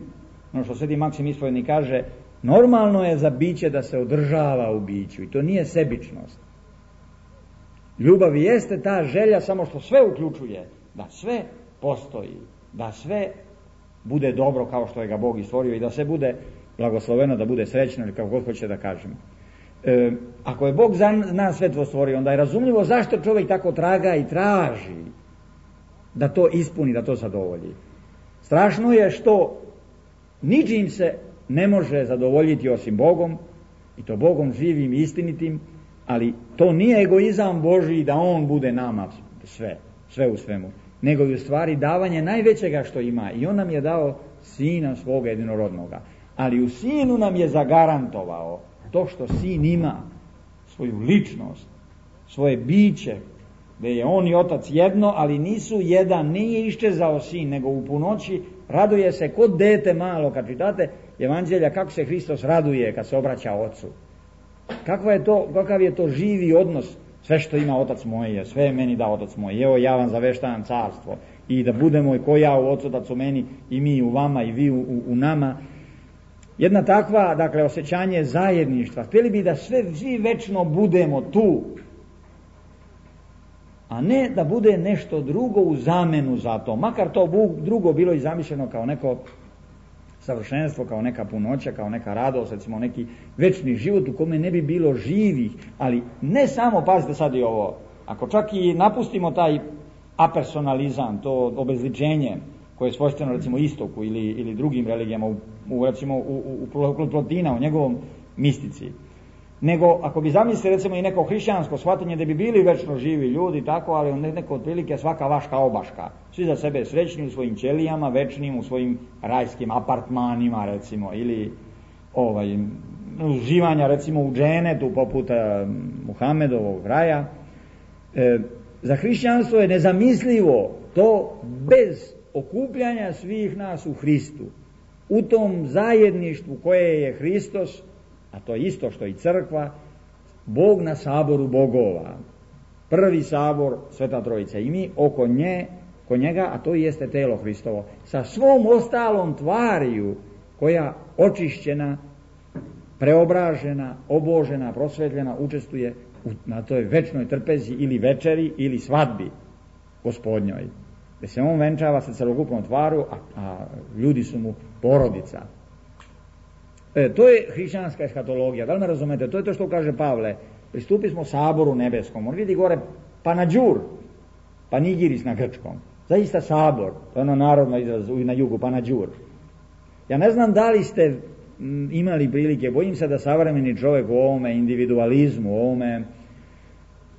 Ono što Sveti Maksim Ispovjednik kaže, normalno je za biće da se održava u biću i to nije sebičnost. Ljubav jeste ta želja samo što sve uključuje, da sve postoji, da sve bude dobro kao što je ga Bog i stvorio i da sve bude blagosloveno, da bude srećno ili kako god hoće da kažem. Ako je Bog za nas sve to stvorio, onda je razumljivo zašto čovjek tako traga i traži da to ispuni, da to zadovolji. Strašno je što ničim se ne može zadovoljiti osim Bogom, i to Bogom živim i istinitim, ali to nije egoizam Božji da on bude nama sve u svemu, nego je u stvari davanje najvećega što ima, i on nam je dao sina svoga jedinorodnoga, ali u sinu nam je zagarantovao to što sin ima, svoju ličnost, svoje biće da je on i otac jedno, ali nisu jedan, nije iščezao sin, nego u punoći raduje se kod dete malo, kad čitate Evanđelja kako se Hristos raduje kad se obraća ocu. Kakav je to živi odnos, sve što ima otac moj je, sve je meni da otac moj, evo ja vam zaveštavam carstvo i da budemo i ko ja u ocu, da su meni i mi u vama i vi u nama. Jedna takva, dakle, osjećanje zajedništva. Htjeli bi da svi večno budemo tu, a ne da bude nešto drugo u zamenu za to. Makar to drugo bilo i zamišljeno kao neko savršenstvo, kao neka punoća, kao neka radost, recimo neki večni život u kome ne bi bilo živih, ali ne samo, pazite sad i ovo, ako čak i napustimo taj apersonalizam, to obezličenje koje je svojstveno recimo istoku ili drugim religijama, recimo u Plotina, u njegovom mistici, nego ako bi zamislili recimo i neko hrišćansko shvatanje da bi bili večno živi ljudi, tako, ali neko otprilike svaka vaška obaška, svi za sebe srećni u svojim ćelijama, večnim u svojim rajskim apartmanima recimo, ili uživanja recimo u dženetu poput Muhamedovog raja. Za hrišćanstvo je nezamislivo to bez okupljanja svih nas u Hristu, u tom zajedništvu koje je Hristos, a to je isto što i crkva, Bog na saboru bogova, prvi sabor, Sveta Trojica, i mi oko njega, a to jeste telo Hristovo, sa svom ostalom tvariju koja očišćena, preobražena, obožena, prosvetljena, učestvuje na toj večnoj trpezi ili večeri ili svadbi Gospodnjoj, gdje se on venčava sa celokupnom tvaru, a ljudi su mu porodica. To je hrišćanska eshatologija, da li me razumete? To je to što kaže Pavle, pristupi smo saboru nebeskom, on vidi gore panađur, panigiris na grčkom, zaista sabor, to je ono narodno izraz na jugu, panađur. Ja ne znam da li ste imali prilike, bojim se da savremeni čovjek u ovome individualizmu, u ovome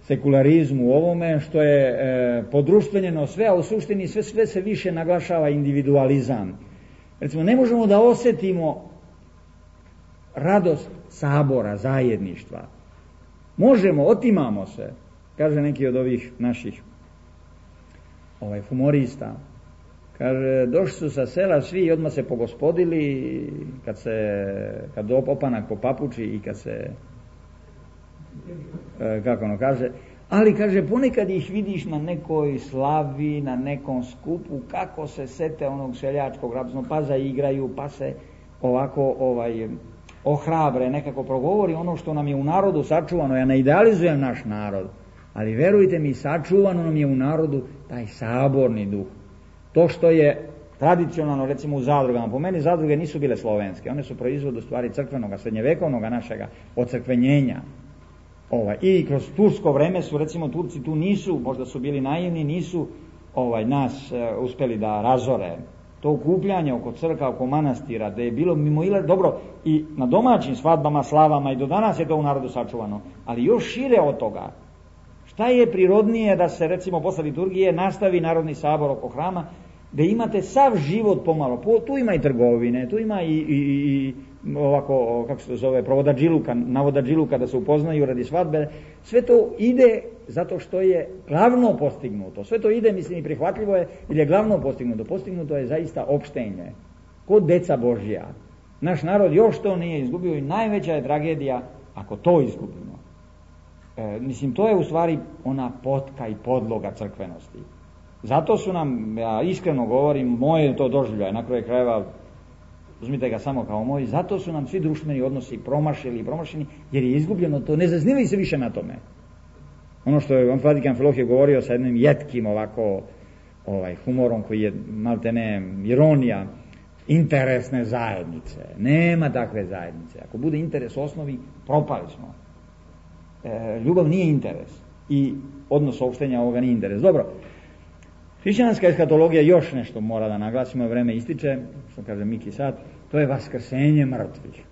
sekularizmu, u ovome što je podruštvenjeno sve, a u suštini sve se više naglašava individualizam. Recimo, ne možemo da osjetimo radost sabora, zajedništva. Možemo, otimamo se, kaže neki od ovih naših humorista. Kaže, došli su sa sela svi i odmah se pogospodili kad opanak po papuči i kad se kako ono kaže, ali kaže ponekad ih vidiš na nekoj slavi, na nekom skupu, kako se sete onog seljačkog rabznog, pa zaigraju, pa se ovako ohrabre, nekako progovori ono što nam je u narodu sačuvano. Ja ne idealizujem naš narod, ali verujte mi, sačuvano nam je u narodu taj saborni duh. To što je tradicionalno recimo u zadrugama, po meni zadruge nisu bile slovenske, one su proizvod u stvari crkvenoga, srednjevekovnoga našega ocrkvenjenja. I kroz tursko vreme su recimo Turci tu nisu, možda su bili naivni, nisu nas uspjeli da razore. To okupljanje oko crkva, oko manastira, da je bilo dobro i na domaćim svadbama, slavama, i do danas je to u narodu sačuvano, ali još šire od toga. Šta je prirodnije da se recimo posle liturgije nastavi narodni sabor oko hrama, da imate sav život pomalo, tu ima i trgovine, tu ima i ovako, kako se to zove, navodađiluka da se upoznaju radi svadbe, sve to ide zato što je glavno postignuto, sve to ide, mislim, i prihvatljivo je, jer je glavno postignuto je zaista opštenje, kod deca Božja. Naš narod još to nije izgubio i najveća je tragedija ako to izgubimo. Mislim, to je u stvari ona potka i podloga crkvenosti. Zato su nam, ja iskreno govorim, moje to doživljaje, na kraju krajeva, uzmite ga samo kao moj, zato su nam svi društveni odnosi promašeni, jer je izgubljeno to, ne zaznivaju se više na tome. Ono što je Vatikan Filohije govorio sa jednim jetkim ovako humorom koji je maltene ironija, interesne zajednice. Nema takve zajednice. Ako bude interes osnovi, propali smo. Ljubav nije interes i odnos opštenja ovoga nije interes. Dobro, hrišćanska eshatologija još nešto mora da naglasimo, vreme ističe, što kaže Miki sad, to je vaskrsenje mrtvih.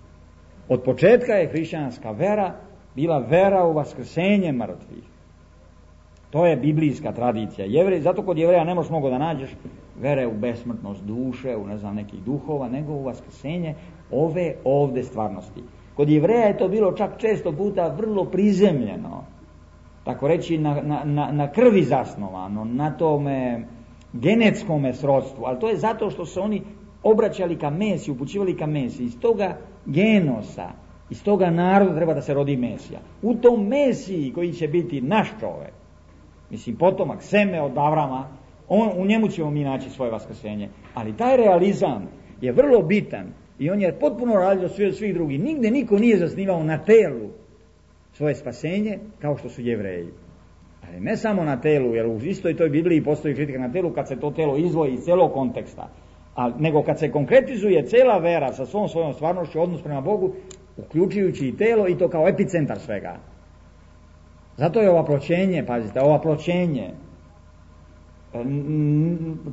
Od početka je hrišćanska vera bila vera u vaskrsenje mrtvih. To je biblijska tradicija. Zato kod Jevreja ne možeš mnogo da nađeš vere u besmrtnost duše, u nekih duhova, nego u vaskrsenje ove ovde stvarnosti. Kod Jevreja je to bilo čak često puta vrlo prizemljeno. tako reći na krvi zasnovano, na tome genetskome srodstvu, ali to je zato što su oni obraćali ka Mesiji, upućivali ka Mesiji. Iz toga genosa, iz toga naroda treba da se rodi Mesija. U tom Mesiji koji će biti naš čovek, mislim potomak, seme od Avrama, u njemu ćemo mi naći svoje vaskrsenje. Ali taj realizam je vrlo bitan i on je potpuno različit od svih drugih. Nigde niko nije zasnivao na telu svoje spasenje kao što su Jevreji. Ali ne samo na telu, jer u istoj toj Bibliji postoji kritika na telu kad se to telo izdvoji iz celog konteksta, nego kad se konkretizuje cela vera sa svojom stvarnošću, odnos prema Bogu, uključujući i telo, i to kao epicentar svega. Zato je ovaploćenje, pazite, ovaploćenje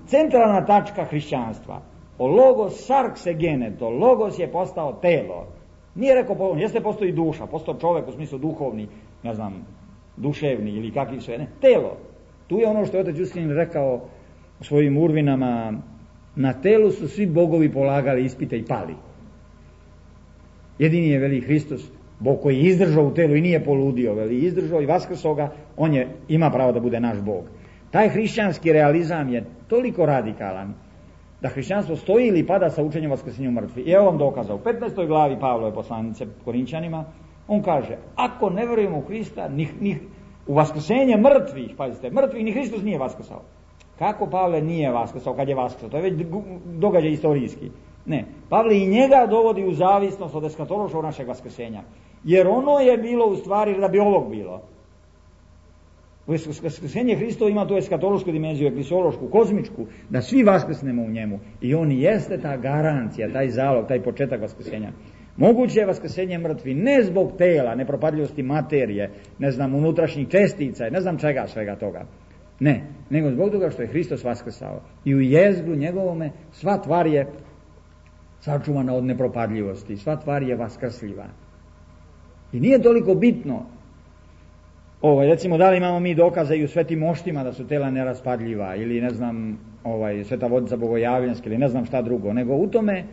centralna tačka hrišćanstva. O logos sarkse geneto, logos je postao telo. Nije rekao, jeste postoji duša, postao čovek u smislu duhovni, ne znam, duševni ili kakvi sve, ne, telo. Tu je ono što je otac Justin rekao u svojim urvinama, na telu su svi bogovi polagali ispite i pali. Jedini je, veli, Hristos, Bog koji je izdržao u telu i nije poludio, veli, izdržao i vaskrsao ga, on ima pravo da bude naš Bog. Taj hrišćanski realizam je toliko radikalan da hrišćanstvo stoji ili pada sa učenjem vaskrsenja mrtvih. I evo vam dokaza. U 15. glavi Pavlove poslanice Korinčanima on kaže, ako ne verujemo u Hrista, ni u vaskrsenje mrtvih, pazite, mrtvih ni Hristos nije vaskrsao. Kako Pavle nije vaskrsao kad je vaskrsao? To je već događaj istorijski. Ne, Pavle i njega dovodi u zavisnost od eskatološkog našeg vaskrsenja. Jer ono je bilo u stvari da bi ovog bilo. Vaskrsenje Hristovo ima tu eskatološku dimenziju, eklisološku, kozmičku, da svi vaskrsnemo u njemu. I on jeste ta garancija, taj zalog, taj početak vaskrsenja. Moguće je vaskrsenje mrtvi ne zbog tela, nepropadljivosti materije, ne znam, unutrašnjih čestica, ne znam čega, svega toga. Ne, nego zbog toga što je Hristos vaskrsao. I u jezgru njegovome sva tvar je sačuvana od nepropadljivosti, sva tvar je vaskrsljiva. I nije toliko bitno, recimo, da li imamo mi dokaze i u svetim moštima da su tela neraspadljiva, ili ne znam, sveta vodica bogojavljanska, ili ne znam šta drugo, nego u tome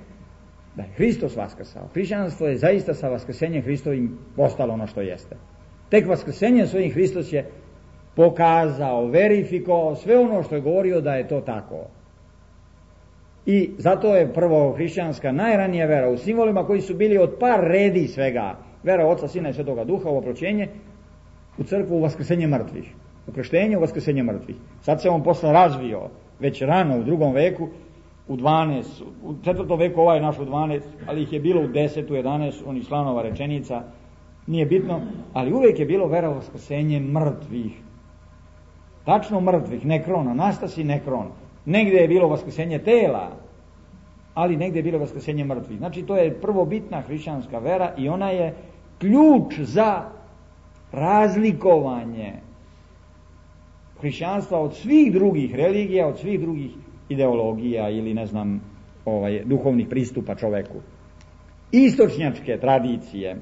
da je Hristos vaskrsao. Hrišćanstvo je zaista sa vaskrsenjem Hristovim postalo ono što jeste. Tek vaskrsenjem svojim Hristos je pokazao, verifikovao sve ono što je govorio da je to tako. I zato je prvo hrišćanska najranija vera u simbolima koji su bili od par redi svega. Vera Oca, Sina i Svetoga Duha, ovaploćenje, u crkvu u vaskrsenje mrtvih. U krštenju u vaskrsenje mrtvih. Sad se on posle razvio, već rano u 2. veku, u 12, u 4. veku ovaj naš u 12, ali ih je bilo u 10, u 11, onih slanova rečenica, nije bitno, ali uvijek je bilo vera u vaskrsenje mrtvih. Tačno mrtvih, nekron, anastasi nekron. Negdje je bilo vaskrsenje tela, ali negdje je bilo vaskrsenje mrtvih. Znači, to je prvobitna hrišćanska vera i ona je ključ za razlikovanje hrišćanstva od svih drugih religija, od svih drugih ideologija ili ne znam, duhovnih pristupa čoveku. Istočnjačke tradicije,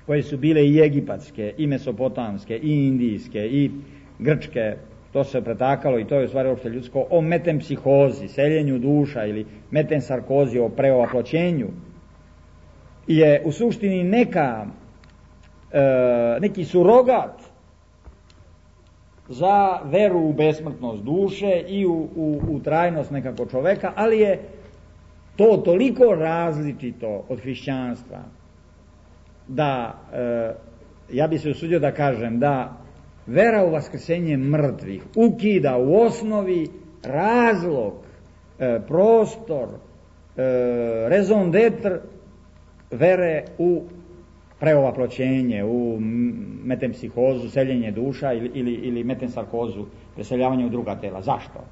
koje su bile i egipatske, i mesopotamske, i indijske, i grčke, to se pretakalo i to je u stvari uopšte ljudsko, o metempsihozi, seljenju duša, ili metensarkozi, o preovaploćenju, je u suštini neki surogat za veru u besmrtnost duše i u trajnost nekako čoveka, ali je to toliko različito od hrišćanstva da ja bi se usudio da kažem da vera u vaskrsenje mrtvih ukida u osnovi razlog, prostor, raison d'être vere u preovaploćenje, u metempsihozu, seljenje duša ili metensarkozu, preseljavanje u druga tela. Zašto?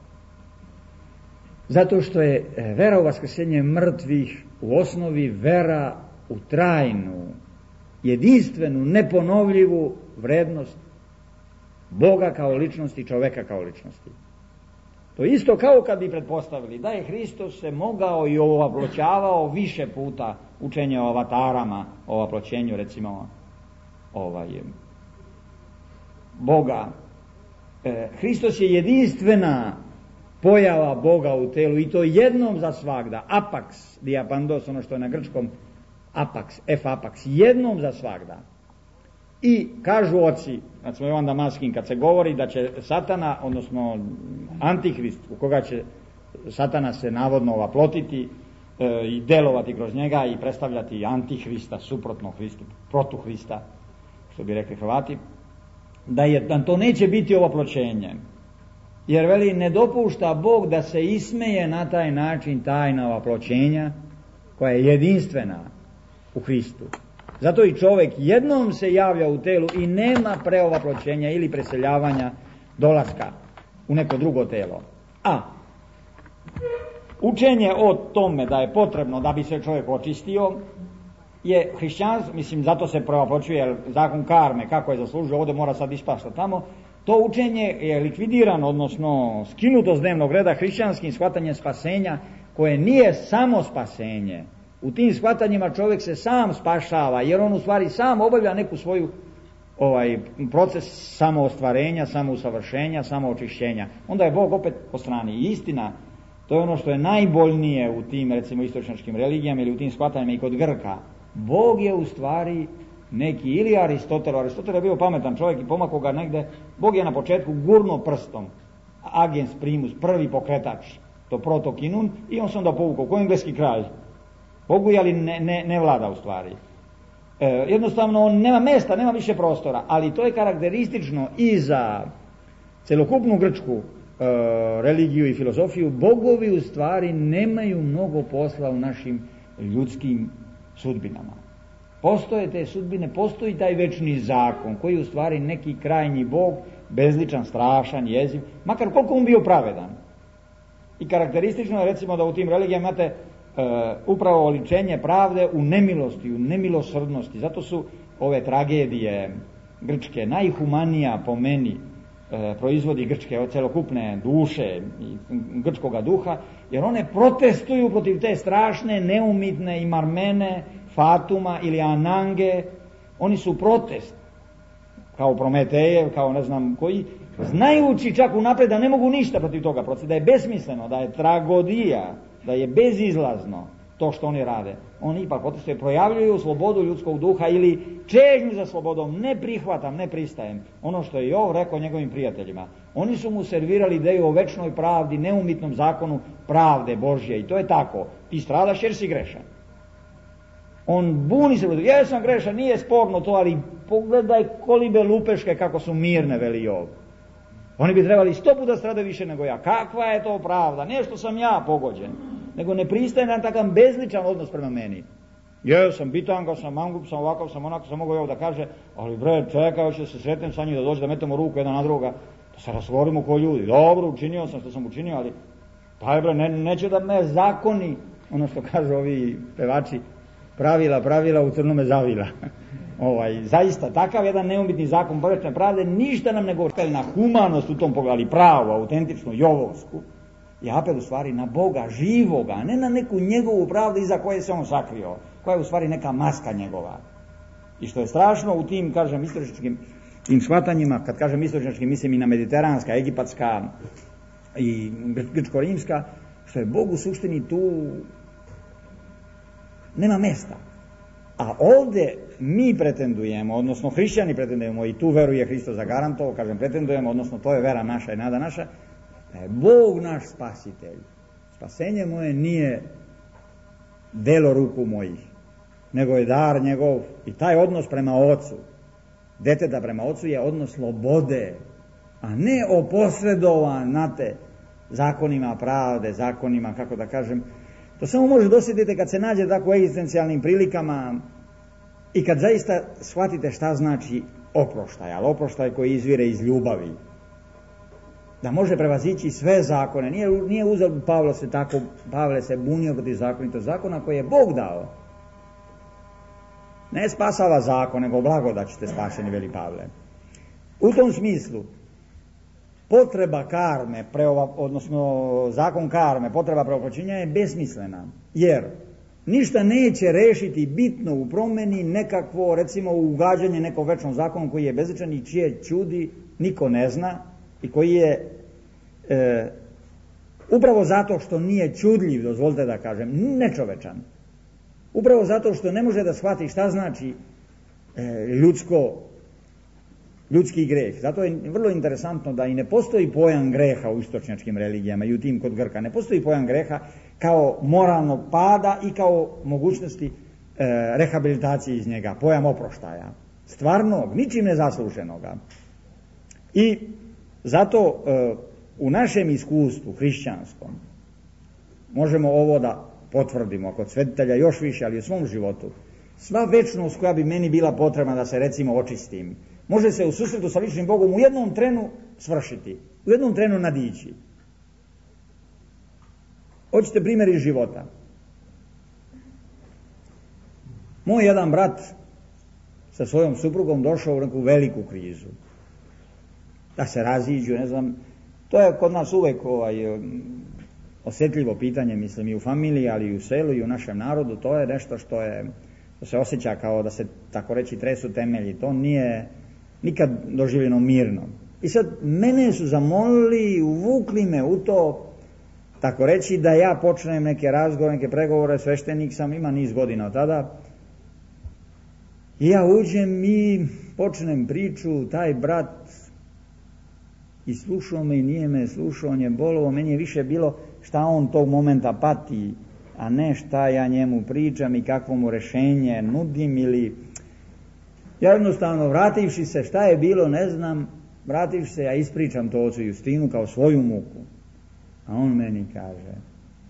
Zato što je vera u vaskrsenje mrtvih u osnovi vera u trajnu, jedinstvenu, neponovljivu vrednost Boga kao ličnosti i čoveka kao ličnosti. To je isto kao kad bi pretpostavili da je Hristos se mogao i ovaploćavao više puta, učenje o avatarama, o ovaploćenju recimo Boga. Hristos je jedinstvena pojava Boga u telu i to jednom za svagda, apax diapandos, ono što je na grčkom apax, f apax, jednom za svagda. I kažu oci, znači Jovan Damaskin, kad se govori da će Satana, odnosno Antihrist, u koga će Satana se navodno ovaplotiti i delovati kroz njega i predstavljati Antihrista, suprotno Hristu, protuhrista, što bi rekli Hrvati, da to neće biti ovoploćenje. Jer veli, ne dopušta Bog da se ismeje na taj način tajna ovoploćenja koja je jedinstvena u Hristu. Zato i čovjek jednom se javlja u telu i nema preovoploćenja ili preseljavanja, dolaska u neko drugo telo. A učenje o tome da je potrebno da bi se čovjek očistio je hrišćanstvo, mislim zato se preovoploćuje zakon karme, kako je zaslužio, ovdje mora sad ispašta tamo. To učenje je likvidirano, odnosno skinuto s dnevnog reda hrišćanskim shvatanjem spasenja, koje nije samo spasenje. U tim shvatanjima čovjek se sam spašava, jer on u stvari sam obavlja neku svoju proces samoostvarenja, samousavršenja, samoočišćenja. Onda je Bog opet po strani. I istina, to je ono što je najboljnije u tim, recimo, istočnjačkim religijama ili u tim shvatanjima i kod Grka. Bog je u stvari neki, ili Aristotel je bio pametan čovjek i pomakao ga negde. Bog je na početku gurno prstom, agens primus, prvi pokretač, to protokinun, i on se onda povukao, ko engleski kralj. Bogu je, ali ne vlada u stvari. Jednostavno on nema mjesta, nema više prostora, ali to je karakteristično i za celokupnu grčku religiju i filozofiju. Bogovi u stvari nemaju mnogo posla u našim ljudskim sudbinama. Postoje te sudbine, postoji taj večni zakon koji je u stvari neki krajnji Bog, bezličan, strašan, jeziv, makar koliko on bio pravedan. I karakteristično je recimo da u tim religijama imate upravo oličenje pravde u nemilosti, u nemilosrdnosti. Zato su ove tragedije grčke najhumanija po meni, proizvodi grčke celokupne duše i grčkoga duha, jer one protestuju protiv te strašne, neumitne i marmene Fatuma ili Anange. Oni su protest, kao Prometejev, kao ne znam koji, znajući čak unaprijed da ne mogu ništa protiv toga procesa, da je besmisleno, da je tragedija, da je bezizlazno to što oni rade. Oni ipak protestuju, projavljuju slobodu ljudskog duha ili čežnju za slobodom. Ne prihvatam, ne pristajem. Ono što je Jov rekao njegovim prijateljima. Oni su mu servirali ideju o večnoj pravdi, neumitnom zakonu pravde Božje, i to je tako. Ti stradaš jer si grešan. On buni se, ja sam grešan, nije sporno to, ali pogledaj kolibe lupeške kako su mirne, veli Jov. Oni bi trebali 100 puta stradati više nego ja. Kakva je to pravda? Ne što sam ja pogođen, nego ne pristaje na takav bezličan odnos prema meni. Ja sam bitanga, sam mangup, sam ovakav, sam onako, sam mogu Jov da kaže, ali bre, čekaj, hoće se sretnem sa njim, da dođe da metemo ruku jedan na druga, da se razgovorimo ko ljudi. Dobro, učinio sam što sam učinio, ali taj bre, neće da me zakoni, ono što kažu ovi pevači, pravila u crnome zavila. Zaista, takav jedan neumitni zakon božje pravde ništa nam ne govori na humanost u tom pogledu, ali pravu, autentičnu, jovovsku, je apel u stvari na Boga živoga, a ne na neku njegovu pravdu iza koje se on sakrio, koja je u stvari neka maska njegova. I što je strašno u tim, kažem, istočnjačkim tim shvatanjima, kad kažem istočnjačkim, mislim i na mediteranska, egipatska i grčko-rimska, što je Bog u suštini tu nema mesta. A ovdje mi pretendujemo, odnosno hrišćani pretendujemo, i tu veru je Hristos zagarantovao, kažem pretendujemo, odnosno to je vera naša i nada naša, da je Bog naš spasitelj. Spasenje moje nije delo ruku mojih, nego je dar njegov, i taj odnos prema ocu, deteta prema ocu, je odnos slobode, a ne oposredovan, znate, zakonima pravde, zakonima, kako da kažem. To samo može dosjetiti kad se nađe tako u egzistencijalnim prilikama i kad zaista shvatite šta znači oproštaj, ali oproštaj koji izvire iz ljubavi. Da može prevazići sve zakone. Nije uzeo Pavle se bunio protiv zakonitosti zakona koje je Bog dao. Ne spasava zakon, nego blagodat ćete spašeni, veli Pavle. U tom smislu, potreba karme, odnosno zakon karme, potreba preopročenja je besmislena, jer ništa neće rešiti bitno u promjeni nekakvo, recimo, ugađanje nekom večnom zakonu koji je bezličan i čije čudi niko ne zna i koji je upravo zato što nije čudljiv, dozvolite da kažem, nečovečan, upravo zato što ne može da shvati šta znači ljudsko ljudski greh. Zato je vrlo interesantno da i ne postoji pojam greha u istočnjačkim religijama i u tim kod Grka. Ne postoji pojam greha kao moralnog pada i kao mogućnosti rehabilitacije iz njega, pojam oproštaja. Stvarnog, ničim nezasluženoga. I zato u našem iskustvu hrišćanskom možemo ovo da potvrdimo kod svetitelja još više, ali u svom životu. Sva večnost koja bi meni bila potrebna da se recimo očistim, može se u susretu sa ličnim Bogom u jednom trenu svršiti, u jednom trenu nadići. Hoćete primjer iz života. Moj jedan brat sa svojom suprugom došao u neku veliku krizu. Da se raziđu, ne znam, to je kod nas uvek osjetljivo pitanje, mislim, i u familiji, ali i u selu i u našem narodu. To je nešto što se osjeća kao da se, tako reći, tresu temelji. To nije nikad doživljeno mirno. I sad mene su zamolili i uvukli me u to, tako reći, da ja počnem neke razgovore, neke pregovore, sveštenik sam, ima niz godina od tada. I ja uđem i počnem priču, taj brat i slušao me i nije me slušao, on je bolovo, meni je više bilo šta on tog momenta pati, a ne šta ja njemu pričam i kakvo mu rešenje nudim ili... Ja jednostavno, vrativši se, šta je bilo, ne znam, vrativši se, ja ispričam to ocu Justinu kao svoju muku. A on meni kaže,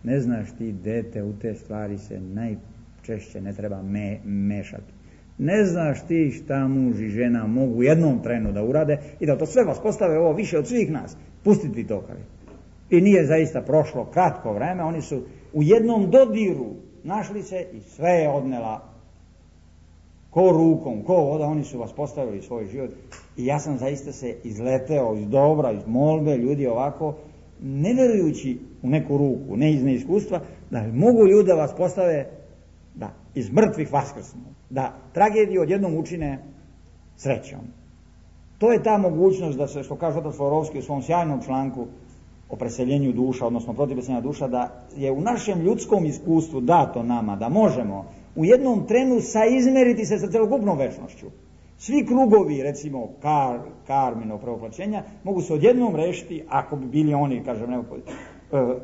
ne znaš ti, dete, u te stvari se najčešće ne treba mešati. Ne znaš ti šta muž i žena mogu u jednom trenu da urade i da to sve vas postave ovo više od svih nas. Pustiti to, kaže. I nije zaista prošlo kratko vreme, oni su u jednom dodiru našli se i sve je odnela ko rukom, ko voda, oni su vas postavili svoj život. I ja sam zaista se izleteo iz dobra, iz molbe, ljudi ovako, ne verujući u neku ruku, ne iz neiskustva, da mogu ljudi da vas postave, da iz mrtvih vaskrsnu, da tragediju odjednom učine srećom. To je ta mogućnost da se, što kaže otac Florovski u svom sjajnom članku o preseljenju duša, odnosno protiv preseljenja duša, da je u našem ljudskom iskustvu dato nama da možemo u jednom trenu saizmeriti se sa celokupnom večnošću. Svi krugovi, recimo karminog pravoplaćenja, mogu se odjednom rešiti, ako bi bili oni, kažem,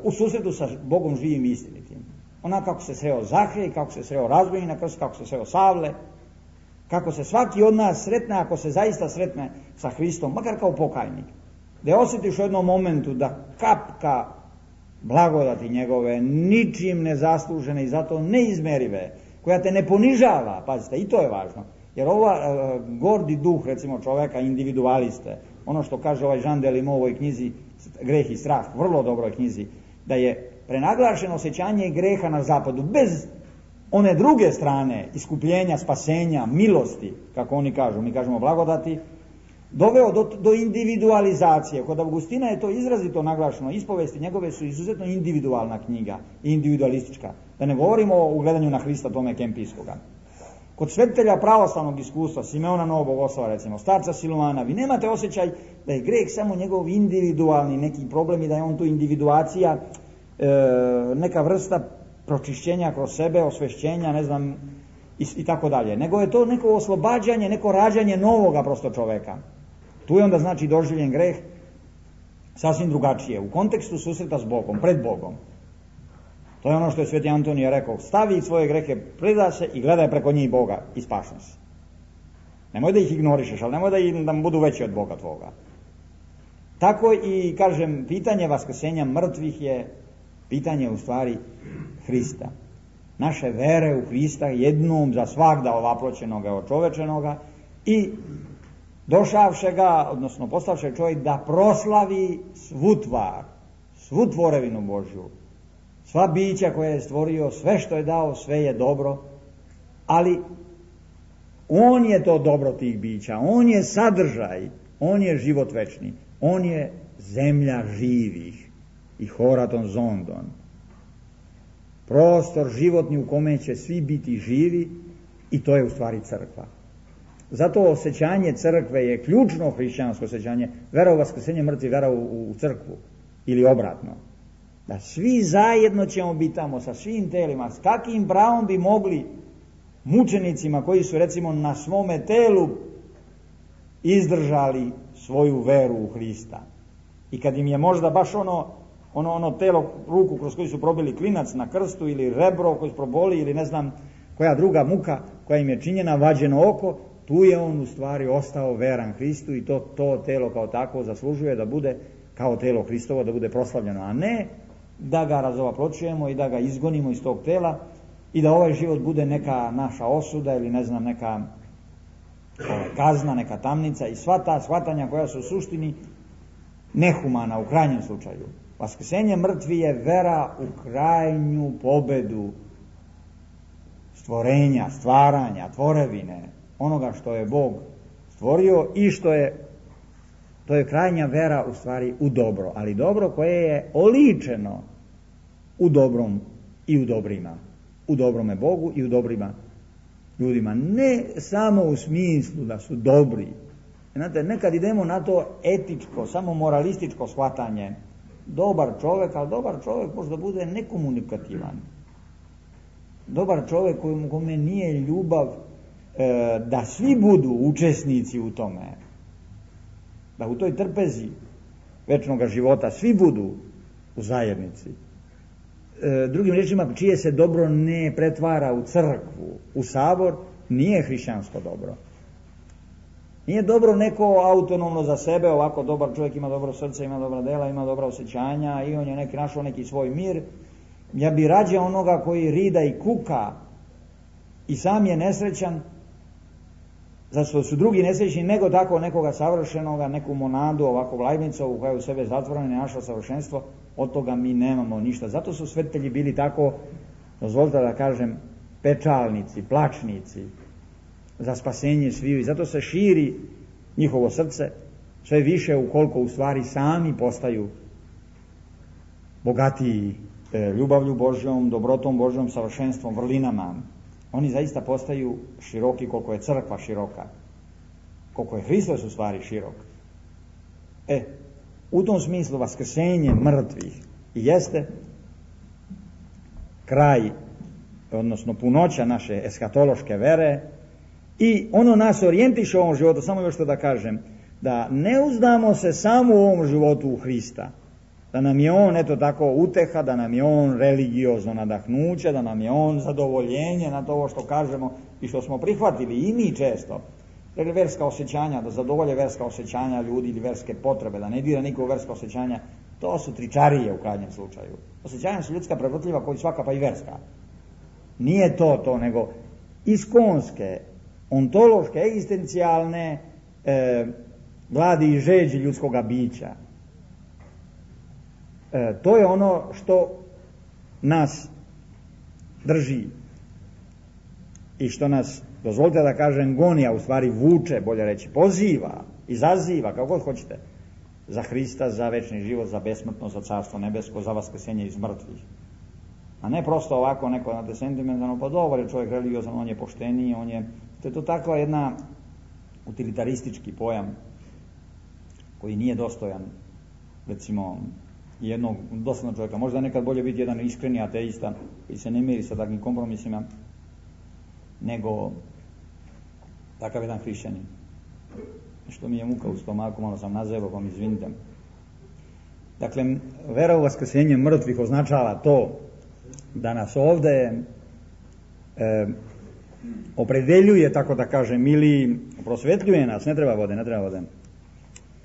u susretu sa Bogom živim i istinitim. Onako kako se sreo Zahej, kako se sreo Razbojnik na krstu, kako se sreo Savle, kako se svaki od nas sretne, ako se zaista sretne sa Hristom, makar kao pokajnik. Da osjetiš u jednom momentu da kapka blagodati njegove, ničim nezaslužene i zato neizmerive, koja te ne ponižava, pazite, i to je važno. Jer gordi duh, recimo, čoveka, individualiste, ono što kaže ovaj Jean Delimot u ovoj knjizi Greh i strah, vrlo dobroj knjizi, da je prenaglašeno osjećanje greha na zapadu, bez one druge strane, iskupljenja, spasenja, milosti, kako oni kažu, mi kažemo blagodati, doveo do individualizacije. Kod Augustina je to izrazito naglašeno, ispovesti njegove su izuzetno individualna knjiga, individualistička, da ne govorimo o ugledanju na Hrista Tome Kempijskoga. Kod svetitelja pravoslavnog iskustva, Simeona Novog Bogoslova, recimo, starca Silvana, vi nemate osjećaj da je greh samo njegov individualni neki problem i da je on tu individuacija, neka vrsta pročišćenja kroz sebe, osvešćenja, ne znam, i tako dalje. Nego je to neko oslobađanje, neko rađanje novoga prosto čoveka. Tu je onda znači doživljen greh sasvim drugačije, u kontekstu susreta s Bogom, pred Bogom. To je ono što je Sveti Antonije rekao, stavi svoje grehe, preda se i gledaj preko njih Boga i spašen se. Nemoj da ih ignorišeš, ali nemoj da budu veći od Boga tvoga. Tako i, kažem, pitanje vaskrsenja mrtvih je pitanje u stvari Hrista. Naše vere u Hrista jednom za svagda ovaploćenoga, očovečenoga i došavšega, odnosno postavše čovjek da proslavi svu tvar, svu tvorevinu Božju, sva bića koje je stvorio, sve što je dao, sve je dobro, ali on je to dobro tih bića, on je sadržaj, on je život večni, on je zemlja živih i horaton zondon. Prostor životni u kome će svi biti živi i to je u stvari crkva. Zato osjećanje crkve je ključno hrišćansko osjećanje, vera u vaskrsenje mrtvih, vera u crkvu ili obratno. Da svi zajedno ćemo biti tamo sa svim telima, s kakvim pravom bi mogli mučenicima koji su recimo na svome telu izdržali svoju veru u Hrista. I kad im je možda baš ono telo, ruku kroz koju su probili klinac na krstu, ili rebro koje su proboli, ili ne znam koja druga muka koja im je činjena, vađeno oko, tu je on u stvari ostao veran Hristu i to telo kao takvo zaslužuje da bude kao telo Hristovo, da bude proslavljeno, a ne da ga razovaproćujemo i da ga izgonimo iz tog tela i da ovaj život bude neka naša osuda ili ne znam neka kazna, neka tamnica i sva ta shvatanja koja su u suštini nehumana u krajnjem slučaju. Vaskrsenje mrtvi je vera u krajnju pobedu stvorenja, stvaranja, tvorevine, onoga što je Bog stvorio i to je krajnja vera u stvari u dobro, ali dobro koje je oličeno u dobrom i u dobrima, u dobrome Bogu i u dobrima ljudima, ne samo u smislu da su dobri. Znate, nekad idemo na to etičko, samo moralističko shvatanje. Dobar čovjek, ali dobar čovjek možda bude nekomunikativan. Dobar čovjek kome nije ljubav da svi budu učesnici u tome, da u toj trpezi večnoga života svi budu u zajednici. Drugim riječima, čije se dobro ne pretvara u crkvu, u sabor, nije hrišćansko dobro. Nije dobro neko autonomno za sebe, ovako dobar čovjek ima dobro srce, ima dobra dela, ima dobra osjećanja i on je našao neki svoj mir. Ja bi rađe onoga koji rida i kuka i sam je nesrećan, zato su drugi nesrećni, nego tako nekoga savršenoga, neku monadu, ovako vlajnicu koja je u sebe zatvorena i našla savršenstvo. Od toga mi nemamo ništa. Zato su svetitelji bili tako, dozvolite da kažem, pečalnici, plačnici za spasenje sviju i zato se širi njihovo srce sve više ukoliko u stvari sami postaju bogatiji ljubavlju Božjom, dobrotom Božjom, savršenstvom, vrlinama. Oni zaista postaju široki koliko je crkva široka, koliko je Hristos u stvari širok. U tom smislu vaskrsenje mrtvih jeste kraj, odnosno punoća naše eskatološke vere i ono nas orijentiše u ovom životu, samo još što da kažem, da ne uzdamo se samo u ovom životu u Hrista, da nam je on eto tako uteha, da nam je on religiozno nadahnuće, da nam je on zadovoljenje na to ovo što kažemo i što smo prihvatili i mi često. Dakle, verska osjećanja, da zadovolje verska osjećanja ljudi ili verske potrebe, da ne dira niko u verska osjećanja, to su tričarije u krajnjem slučaju. Osjećanja su ljudska prevrtljiva koji svaka pa i verska. Nije to, nego iskonske, ontološke, egzistencijalne gladi i žeđi ljudskoga bića. To je ono što nas drži i što nas, dozvolite da kažem, goni, a u stvari vuče, bolje reći, poziva, izaziva, kako god hoćete, za Hrista, za večni život, za besmrtnost, za carstvo nebesko, za vaskrsenje iz mrtvih. A ne prosto ovako neko na sentimentalno, pa dobar je čovjek religiozan, on je pošteniji, to je to takva jedna utilitaristički pojam koji nije dostojan, recimo, jednog doslovnog čovjeka. Možda nekad bolje biti jedan iskreni ateista koji se ne miri sa takvim kompromisima, nego takav jedan hrišćanin. Što mi je muka u stomaku, malo sam nazevao, pa mi izvinite. Dakle, vera u vaskrsenje mrtvih označava to da nas ovde opredeljuje, tako da kažem, ili prosvetljuje nas, ne treba vode,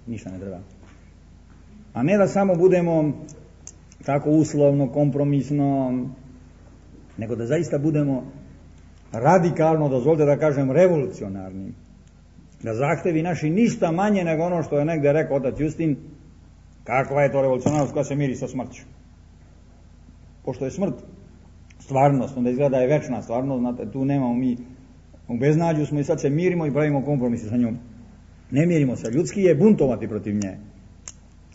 ništa ne treba. A ne da samo budemo tako uslovno, kompromisno, nego da zaista budemo radikalno, dozvolite da kažem, revolucionarni. Da zahtevi naši ništa manje nego ono što je negde rekao otac Justin, kakva je to revolucionarnost koja se miri sa smrću. Pošto je smrt stvarnost, onda izgleda je večna stvarnost, znate, tu nemamo mi, u beznađu smo i sad se mirimo i pravimo kompromise sa njom. Ne mirimo se, ljudski je buntovati protiv nje.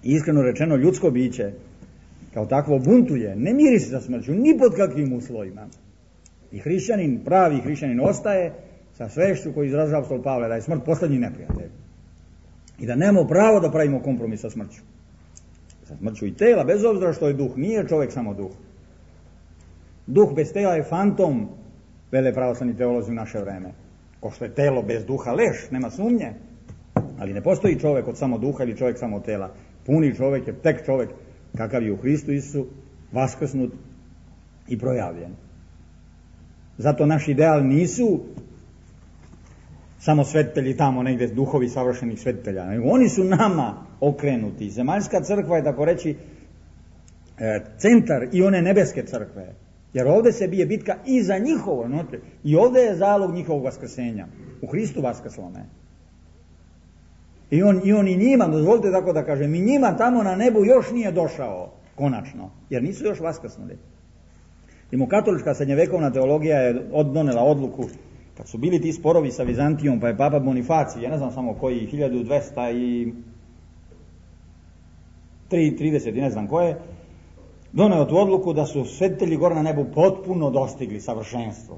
Iskreno rečeno, ljudsko biće kao takvo buntuje, ne miri se sa smrću, ni pod kakvim uslovima. I hrišćanin, pravi hrišćanin ostaje sa svešću koji izražava apostol Pavle, da je smrt poslednji neprijatelj. I da nemamo pravo da pravimo kompromis sa smrću. Sa smrću i tela, bez obzira što je duh, nije čovjek samo duh. Duh bez tela je fantom, vele pravoslavni teolozi u naše vreme. Ko što je telo bez duha leš, nema sumnje. Ali ne postoji čovjek od samo duha ili čovjek samo od tela. Puni čovjek je tek čovjek kakav je u Hristu Isusu, vaskrsnut i projavljen. Zato naš ideal nisu samo svetitelji tamo negdje, duhovi savršenih svetitelja. Oni su nama okrenuti. Zemaljska crkva je, tako reći, centar i one nebeske crkve. Jer ovdje se bije bitka i za njihovo. I ovdje je zalog njihovog vaskrsenja. U Hristu vaskrslome. I on i njima, dozvolite tako da kažem, i njima tamo na nebu još nije došao konačno. Jer nisu još vaskrsnuli. Rimokatolička srednjevekovna teologija je donela odluku, kad su bili ti sporovi sa Vizantijom, pa je papa Bonifacij, ja ne znam samo koji, 1230 i ne znam koje, doneo tu odluku da su svetitelji gore na nebu potpuno dostigli savršenstvo.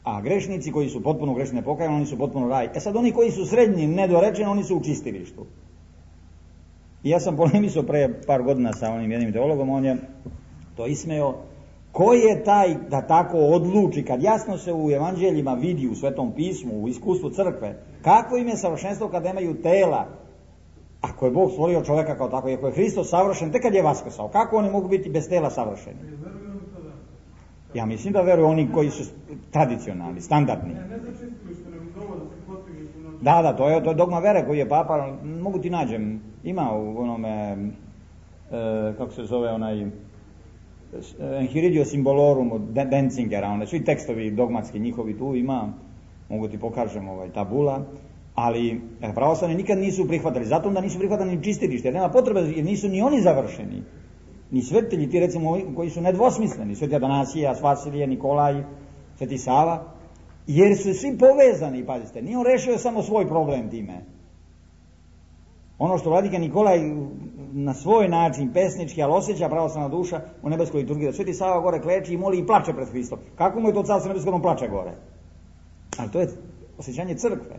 A grešnici koji su potpuno grešni nepokajani, oni su potpuno raj. Sad oni koji su srednji, nedorečeni, oni su u čistilištu. I ja sam polemisao pre par godina sa onim jednim teologom, on je to ismeo. Ko je taj da tako odluči, kad jasno se u evanđeljima vidi, u Svetom pismu, u iskustvu crkve, kako im je savršenstvo kad nemaju tela? Ako je Bog stvorio čovjeka kao tako, ako je Hristos savršen, tek kad je vaskrsao, kako oni mogu biti bez tela savršeni? Ja mislim da veruju oni koji su tradicionalni, standardni. Da, to je dogma vere koji je papa, mogu ti nađem, ima u onome, kako se zove onaj, Enchiridio Symbolorum od Benzingera, onda svi tekstovi dogmatski njihovi tu ima, mogu ti pokažem tabula, ali pravoslavni nikad nisu prihvatili, zato onda nisu prihvatili ni čistilište, jer nema potrebe, jer nisu ni oni završeni, ni svetitelji ti recimo koji su nedvosmisleni, Sveti Atanasije, Vasilije, Nikolaj, Sveti Sava, jer su svi povezani, pazite, nije on rešio samo svoj problem time. Ono što vladika Nikolaj na svoj način pesnički, ali osjeća pravoslavna duša u nebeskoj liturgiji, da Sveti Sava gore kleči i moli i plače pred Hristom. Kako mu je to carstvo nebesko, on plače gore? Ali to je osjećanje crkve.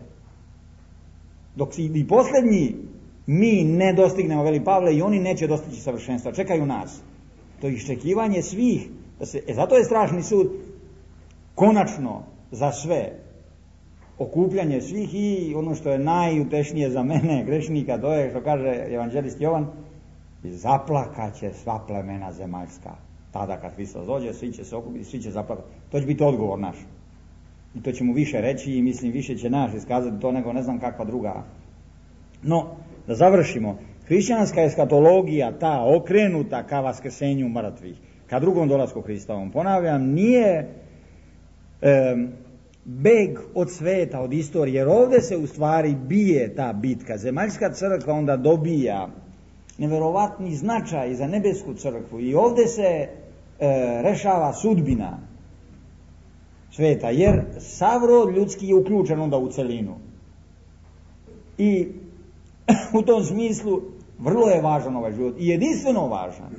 Dok i posljednji mi ne dostignemo, veli Pavle, i oni neće dostići savršenstva, čekaju nas. To je iščekivanje svih. Zato je strašni sud konačno za sve. Okupljanje svih i ono što je najutešnije za mene, grešnika, to je što kaže evanđelist Jovan, zaplakaće sva plemena zemaljska. Tada kad Hristos dođe, svi će se okupiti, svi će zaplakati. To će biti odgovor naš. I to će mu više reći i mislim više će naš iskazati to nego ne znam kakva druga. No, da završimo. Hrišćanska eskatologija, ta okrenuta ka vaskrsenju mrtvih, ka drugom dolasku Hristovom, ponavljam, nije beg od sveta, od istorije, jer ovdje se u stvari bije ta bitka. Zemaljska crkva onda dobija neverovatni značaj za nebesku crkvu i ovdje se rešava sudbina sveta, jer sav rod ljudski je uključen onda u celinu. I u tom smislu vrlo je važan ovaj život i jedinstveno važan.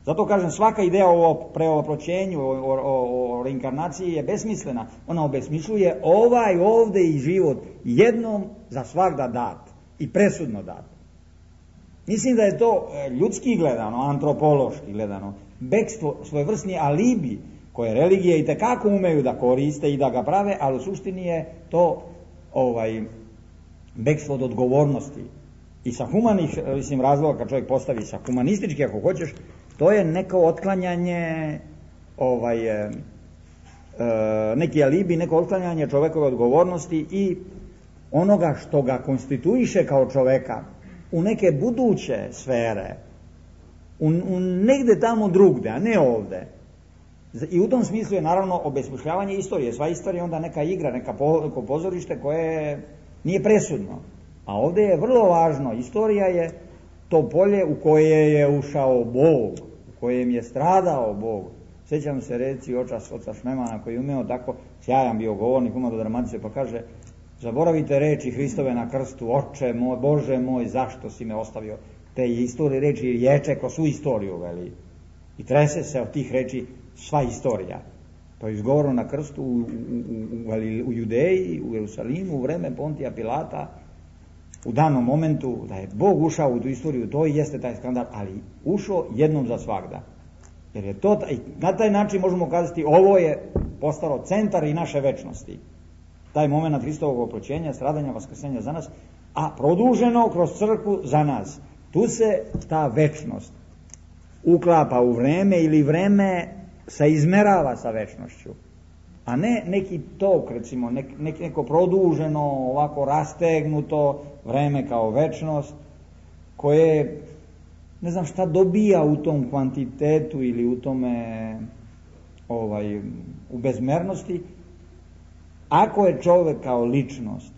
Zato kažem, svaka ideja o preoproćenju, o reinkarnaciji je besmislena. Ona obesmišljuje ovaj ovdje i život jednom za svagda dat i presudno dat. Mislim da je to ljudski gledano, antropološki gledano, bekstvo, svojevrsni alibi koje religije itekako umeju da koriste i da ga prave, ali u suštini je to bekstvo od odgovornosti. I sa humanih razloga, kad čovjek postavi sa humanistički, ako hoćeš, to je neko otklanjanje neki alibi, neko otklanjanje čovjekove odgovornosti i onoga što ga konstituiše kao čovjeka u neke buduće sfere, u negde tamo drugde, a ne ovde. I u tom smislu je naravno obesmišljavanje istorije. Sva istorija je onda neka igra, neko pozorište koje nije presudno. A ovdje je vrlo važno, istorija je to polje u koje je ušao Bog, u kojem je stradao Bog. Sjećam se reci oca Šnemana koji je umeo tako, sjajan bio govornik, umeo do dramatice, pa kaže: zaboravite reči Hristove na krstu, oče moj, Bože moj, zašto si me ostavio? Te istorije reči ječe ko svu istoriju, veli. I trese se od tih reči sva istorija. To je izgovoreno na krstu u Judeji, u Jerusalimu, u vreme Pontija Pilata, u danom momentu da je Bog ušao u tu istoriju, to i jeste taj skandal, ali ušao jednom za svagda. Jer je to, na taj način možemo kazati, ovo je postalo centar i naše večnosti. taj moment Hristovog oproćenja, stradanja, vaskrsenja za nas, a produženo kroz crkvu za nas. Tu se ta večnost uklapa u vreme ili vreme se izmerava sa večnošću, a ne neki tok, recimo, neko produženo, ovako rastegnuto vreme kao večnost, koje ne znam šta dobija u tom kvantitetu ili u tome u bezmernosti, ako je čovjek kao ličnost,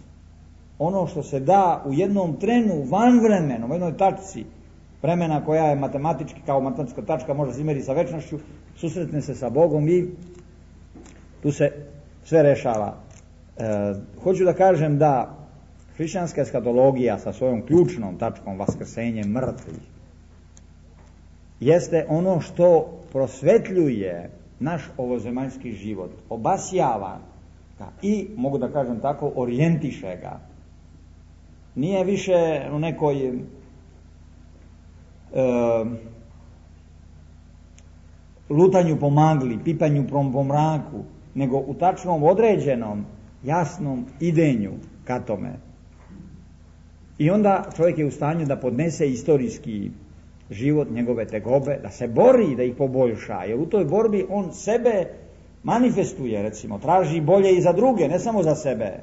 ono što se da u jednom trenu van vremena, u jednoj tačci vremena koja je matematički, kao matematska tačka može se izmeri sa večnošću, susretne se sa Bogom i tu se sve rešava. Hoću da kažem da hrišćanska eskatologija sa svojom ključnom tačkom vaskrsenje mrtvih jeste ono što prosvetljuje naš ovozemaljski život, obasjava ga i, mogu da kažem tako, orijentiše ga. Nije više u nekoj lutanju po magli, pipanju po mraku, nego u tačnom, određenom, jasnom idenju ka tome. I onda čovjek je u stanju da podnese istorijski život, njegove tegobe, da se bori, da ih poboljša, jer u toj borbi on sebe manifestuje, recimo, traži bolje i za druge, ne samo za sebe.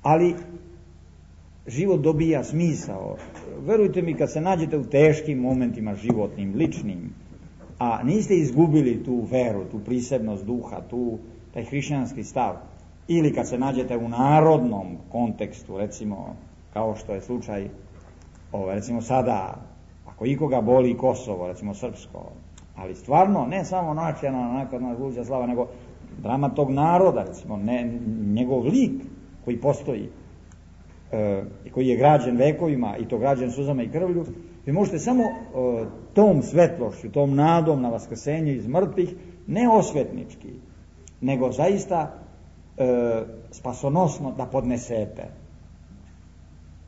Ali život dobija smisao. Verujte mi, kad se nađete u teškim momentima životnim, ličnim, a niste izgubili tu veru, tu prisebnost duha, taj hrišćanski stav, ili kad se nađete u narodnom kontekstu, recimo, kao što je slučaj, recimo sada, ako ikoga boli Kosovo, recimo srpsko, ali stvarno, ne samo nacionalna nakladna slava, nego drama tog naroda, recimo, ne, njegov lik koji postoji, koji je građen vekovima i to građen suzama i krvlju, vi možete samo tom svetlošću, tom nadom na vaskrsenje iz mrtvih, ne osvetnički, nego zaista spasonosno da podnesete.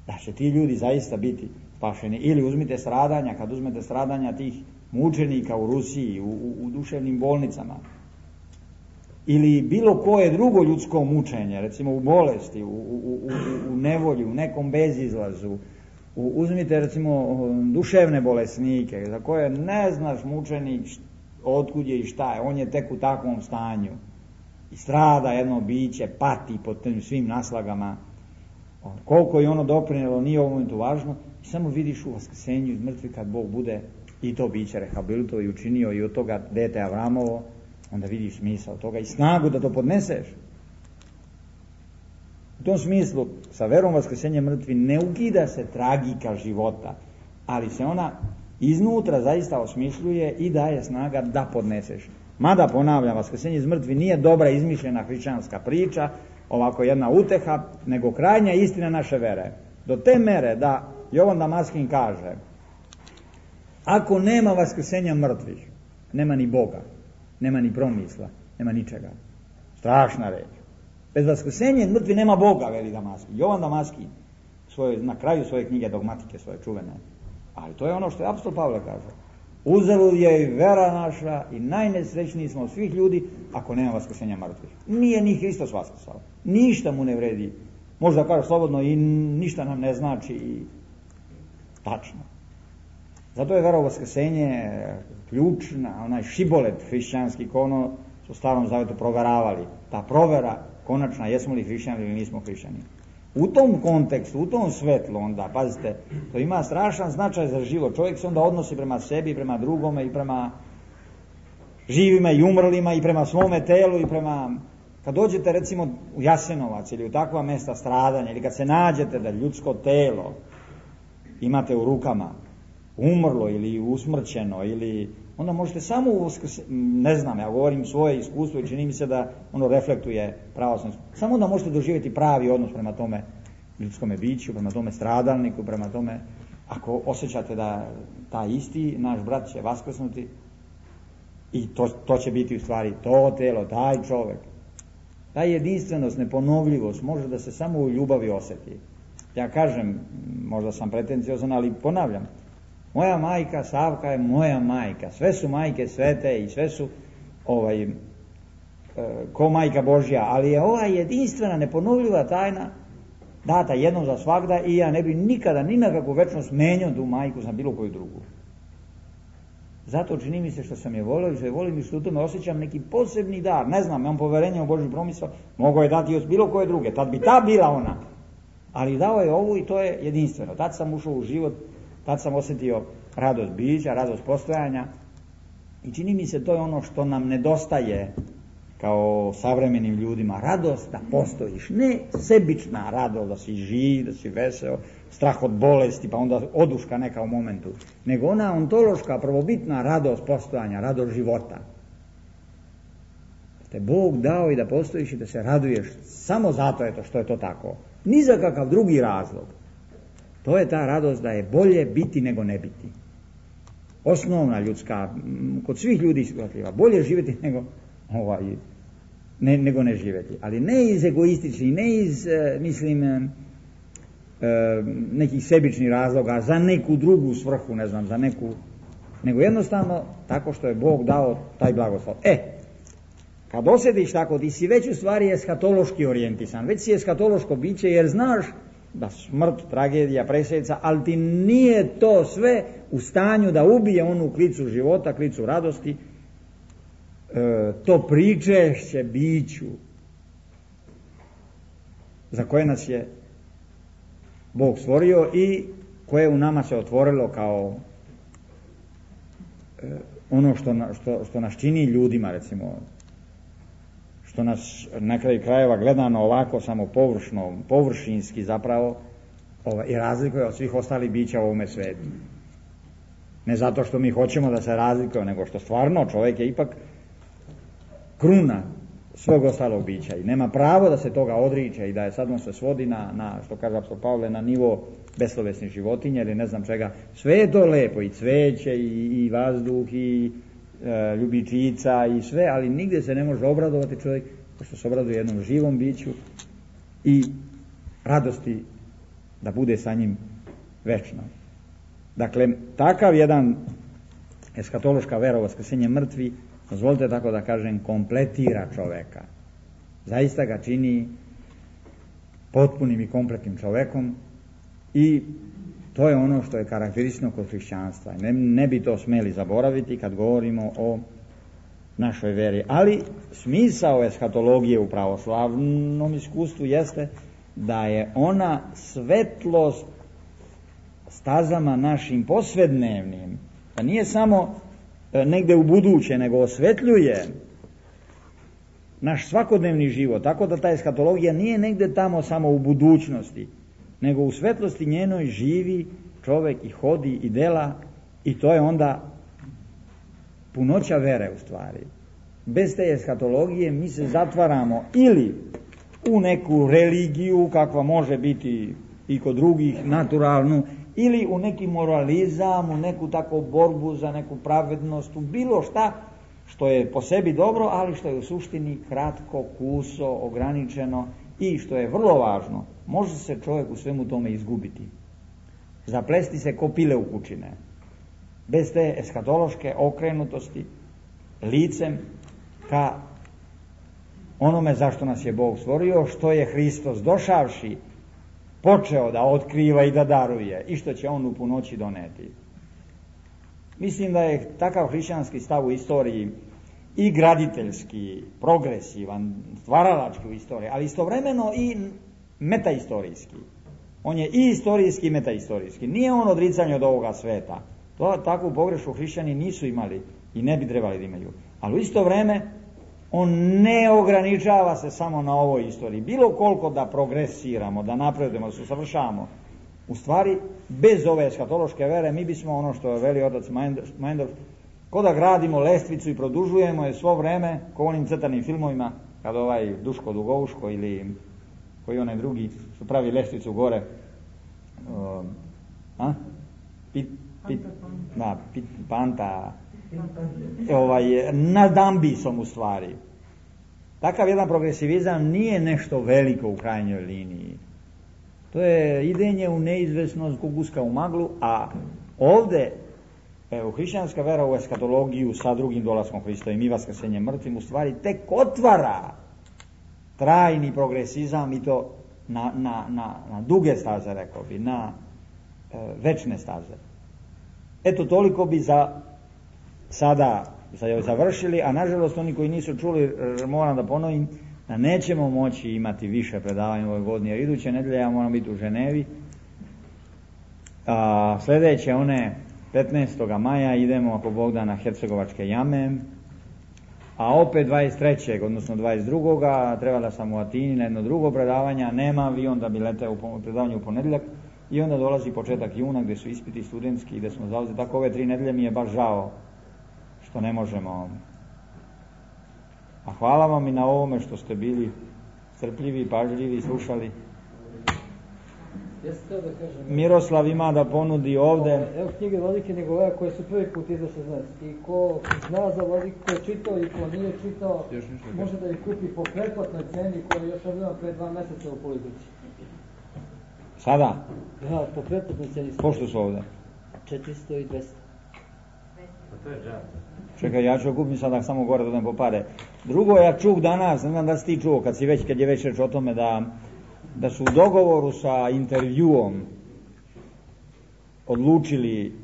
Da će ti ljudi zaista biti spašeni. Ili uzmite stradanja, kad uzmete stradanja tih mučenika u Rusiji, u duševnim bolnicama, ili bilo koje drugo ljudsko mučenje, recimo u bolesti, u nevolji, u nekom bezizlazu, uzmite recimo duševne bolesnike za koje ne znaš mučenik otkud je i šta je, on je tek u takvom stanju i strada jedno biće, pati pod tim svim naslagama, koliko je ono doprinjelo nije u ovom momentu važno, i samo vidiš u vaskrsenju iz mrtvih kad Bog bude i to biće rehabilitovao i učinio i od toga dete Avramovo, onda vidiš smisao toga i snagu da to podneseš. U tom smislu, sa verom vaskrsenja mrtvi ne ukida se tragika života, ali se ona iznutra zaista osmišljuje i daje snaga da podneseš. Mada, ponavljam, vaskrsenje iz mrtvi nije dobra izmišljena hrišćanska priča, ovako jedna uteha, nego krajnja istina naše vere. Do te mere da Jovan Damaskin kaže, ako nema vaskrsenja mrtvih, nema ni Boga, nema ni promisla, nema ničega. Strašna reč. Bez vaskrsenja mrtvi nema Boga, veli Damaskin. Jovan Damaskin, na kraju svoje knjige dogmatike, svoje čuvene. Ali to je ono što je apostol Pavle kaže. Uzalud je i vera naša i najnesrećniji smo od svih ljudi ako nema vaskrsenja mrtvih. Nije ni Hristos vaskrsao. Ništa mu ne vredi. Možda kaže slobodno i ništa nam ne znači i tačno. Zato je vera u vaskrsenje ključna, onaj šibolet hrišćanski, ko ono su u Starom Zavetu proveravali. Ta provera konačna, jesmo li hrišćani ili nismo hrišćani. U tom kontekstu, u tom svetlu onda, pazite, to ima strašan značaj za život. Čovjek se onda odnosi prema sebi, prema drugome i prema živima i umrlima i prema svome telu i prema... Kad dođete recimo u Jasenovac ili u takva mesta stradanja ili kad se nađete da ljudsko telo imate u rukama umrlo ili usmrćeno ili onda možete samo ne znam, ja govorim svoje iskustvo i čini mi se da ono reflektuje pravoslavno. Samo da možete doživjeti pravi odnos prema tome ljudskome biću, prema tome stradalniku, prema tome ako osjećate da taj isti naš brat će vaskrsnuti i to će biti u stvari to telo, taj čovjek. Ta jedinstvenost, neponovljivost može da se samo u ljubavi osjeti. Ja kažem, možda sam pretenciozan, ali ponavljam, moja majka Savka je moja majka, sve su majke svete i sve su ko majka Božja, ali je ova jedinstvena, neponovljiva tajna data jednom za svagda i ja ne bi nikada ni na kakvu večnost menjao tu majku za bilo koju drugu. Zato čini mi se što sam je volio i što je volim i što u tome osjećam neki posebni dar. Ne znam, imam poverenje u Božju promisao, mogao je dati od bilo koje druge, tad bi ta bila ona. Ali dao je ovu i to je jedinstveno. Tad sam ušao u život, tad sam osjetio radost bića, radost postojanja i čini mi se to je ono što nam nedostaje kao savremenim ljudima. Radost da postojiš, ne sebična radost da si živ, da si veseo, strah od bolesti pa onda oduška neka u momentu, nego ona ontološka, prvobitna radost postojanja, radost života. Te Bog dao i da postojiš i da se raduješ samo zato što je to tako. Ni za kakav drugi razlog. To je ta radost da je bolje biti nego ne biti. Osnovna ljudska, kod svih ljudi shvatljiva, bolje živjeti nego ne živjeti. Ali ne iz egoističnih, ne iz, nekih sebičnih razloga, za neku drugu svrhu, ne znam, za neku, nego jednostavno tako što je Bog dao taj blagoslov. Kad osjetiš tako, ti si već u stvari eskatološki orijentisan, već si eskatološko biće jer znaš da smrt, tragedija, presjeca, ali ti nije to sve u stanju da ubije onu klicu života, klicu radosti, to pričešće biću za koje nas je Bog stvorio i koje u nama se otvorilo kao ono što nas čini ljudima, recimo, što nas na kraju krajeva gledano ovako samo površinski zapravo i razlikuje od svih ostalih bića u ovome svijetu. Ne zato što mi hoćemo da se razlikuje, nego što stvarno čovjek je ipak kruna svog ostalog bića i nema pravo da se toga odriče i da je sad on se svodi na što kaže apostol Pavle, na nivo beslovesnih životinja ili ne znam čega. Sve je to lepo, i cveće i vazduh i ljubičica i sve, ali nigdje se ne može obradovati čovjek što se obraduje jednom živom biću i radosti da bude sa njim večno. Dakle, takav jedan eskatološka vera u vaskrsenje mrtvi, dozvolite tako da kažem, kompletira čoveka. Zaista ga čini potpunim i kompletnim čovekom i to je ono što je karakteristično kod hrišćanstva. Ne bi to smeli zaboraviti kad govorimo o našoj veri. Ali smisao eskatologije u pravoslavnom iskustvu jeste da je ona svetlost stazama našim posvednevnim. Da nije samo negde u buduće, nego osvetljuje naš svakodnevni život. Tako da ta eskatologija nije negde tamo samo u budućnosti, nego u svetlosti njenoj živi čovjek i hodi i dela i to je onda punoća vere u stvari. Bez te eskatologije mi se zatvaramo ili u neku religiju kakva može biti i kod drugih, naturalnu, ili u neki moralizam, u neku takvu borbu za neku pravednost, u bilo šta što je po sebi dobro, ali što je u suštini kratko, kuso, ograničeno i što je vrlo važno, može se čovjek u svemu tome izgubiti. Zaplesti se ko pile u kućine. Bez te eskatološke okrenutosti licem ka onome zašto nas je Bog stvorio, što je Hristos došavši počeo da otkriva i da daruje i što će on u punoći doneti. Mislim da je takav hrišćanski stav u istoriji i graditeljski, progresivan, stvaralački u istoriji, ali istovremeno i metaistorijski. On je i istorijski i metaistorijski. Nije on odricanje od ovoga sveta. Takvu pogrešku hrišćani nisu imali i ne bi trebali da imaju. Ali u isto vreme on ne ograničava se samo na ovoj istoriji. Bilo koliko da progresiramo, da napredujemo, da se usavršavamo. U stvari, bez ove eskatološke vere, mi bismo ono što veli otac Meinendorf, ko da gradimo lestvicu i produžujemo je svo vreme, ko onim crtanim filmovima, kad ovaj Duško Dugovuško ili koji onaj drugi što pravi lestvicu gore, Panta, nad ambisom u stvari. Takav jedan progresivizam nije nešto veliko u krajnjoj liniji. To je idenje u neizvesnost ko guska u maglu, a ovdje hrišćanska vera u eskatologiju sa drugim dolaskom Hristovim i vaskrsenjem mrtvim u stvari tek otvara trajni progresizam i to na duge staze, rekao bi, na večne staze. Eto, toliko bi sada završili, a nažalost oni koji nisu čuli, moram da ponovim, da nećemo moći imati više predavanja u ovoj godini, jer iduće nedelje ja moram biti u Ženevi, a sljedeće one 15. maja idemo, ako Bog da, na Hercegovačke jame, a opet 23. odnosno 22. trebala sam u Atini na jedno drugo predavanje, nema avion da bi leteo u predavanju u ponedjeljak, i onda dolazi početak juna gdje su ispiti studentski i gdje smo zauzeti. Tako ove 3 nedelje mi je baš žao što ne možemo. A hvala vam i na ovome što ste bili strpljivi, pažljivi, slušali. Miroslav ima da ponudi ovdje. Evo knjige Vladike Nikolaya koje su prvi put izašle, znači, i ko zna za Vladiku, ko je čitao i ko nije čitao, može da ih kupi po pretplatnoj ceni koja je još objavljena pre 2 mjeseca u Politici. Sada? Da, po pretplatnoj ceni. Pošto su ovdje? 400 i 200. To je džab. Čekaj, ja ću kupiti sada samo gore da po pare. Drugo, ja čuh danas, ne znam da si ti čuo, kad je već reč o tome da su u dogovoru sa intervjuom odlučili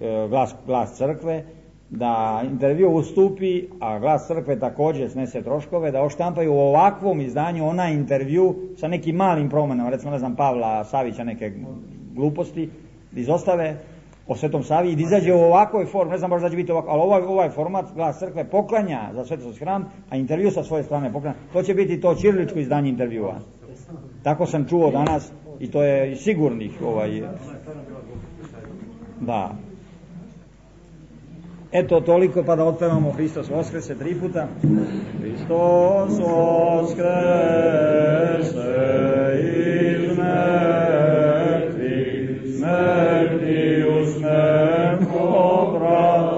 glas crkve, da intervju ustupi, a glas crkve također snese troškove, da oštampaju u ovakvom izdanju onaj intervju sa nekim malim promjenama, recimo ne znam Pavla Savića neke gluposti, izostave o Svetom Savi i da izađe u ovakvoj formi, ne znam baš da će biti ovako, ali ovaj format glas crkve poklanja za Svetosti hram, a intervju sa svoje strane poklanja. To će biti to ćiriličko izdanje intervjua. Tako sam čuo danas i to je sigurnih da. Eto, toliko, pa da otpevamo Hristos Voskrese 3 puta. Hristos Voskrese iz mrtvih, smrti usmem obrat,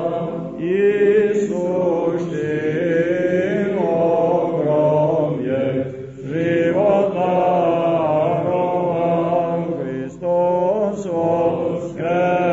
Isus ti ogrom je život darovan. Hristos Voskrese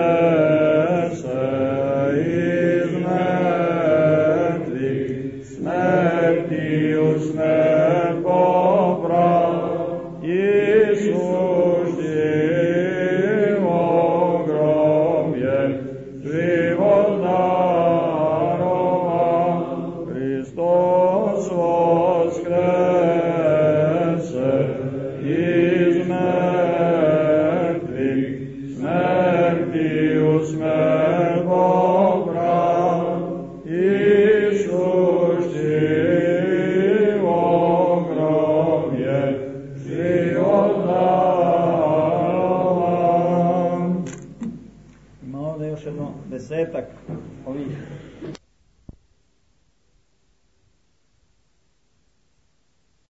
desetak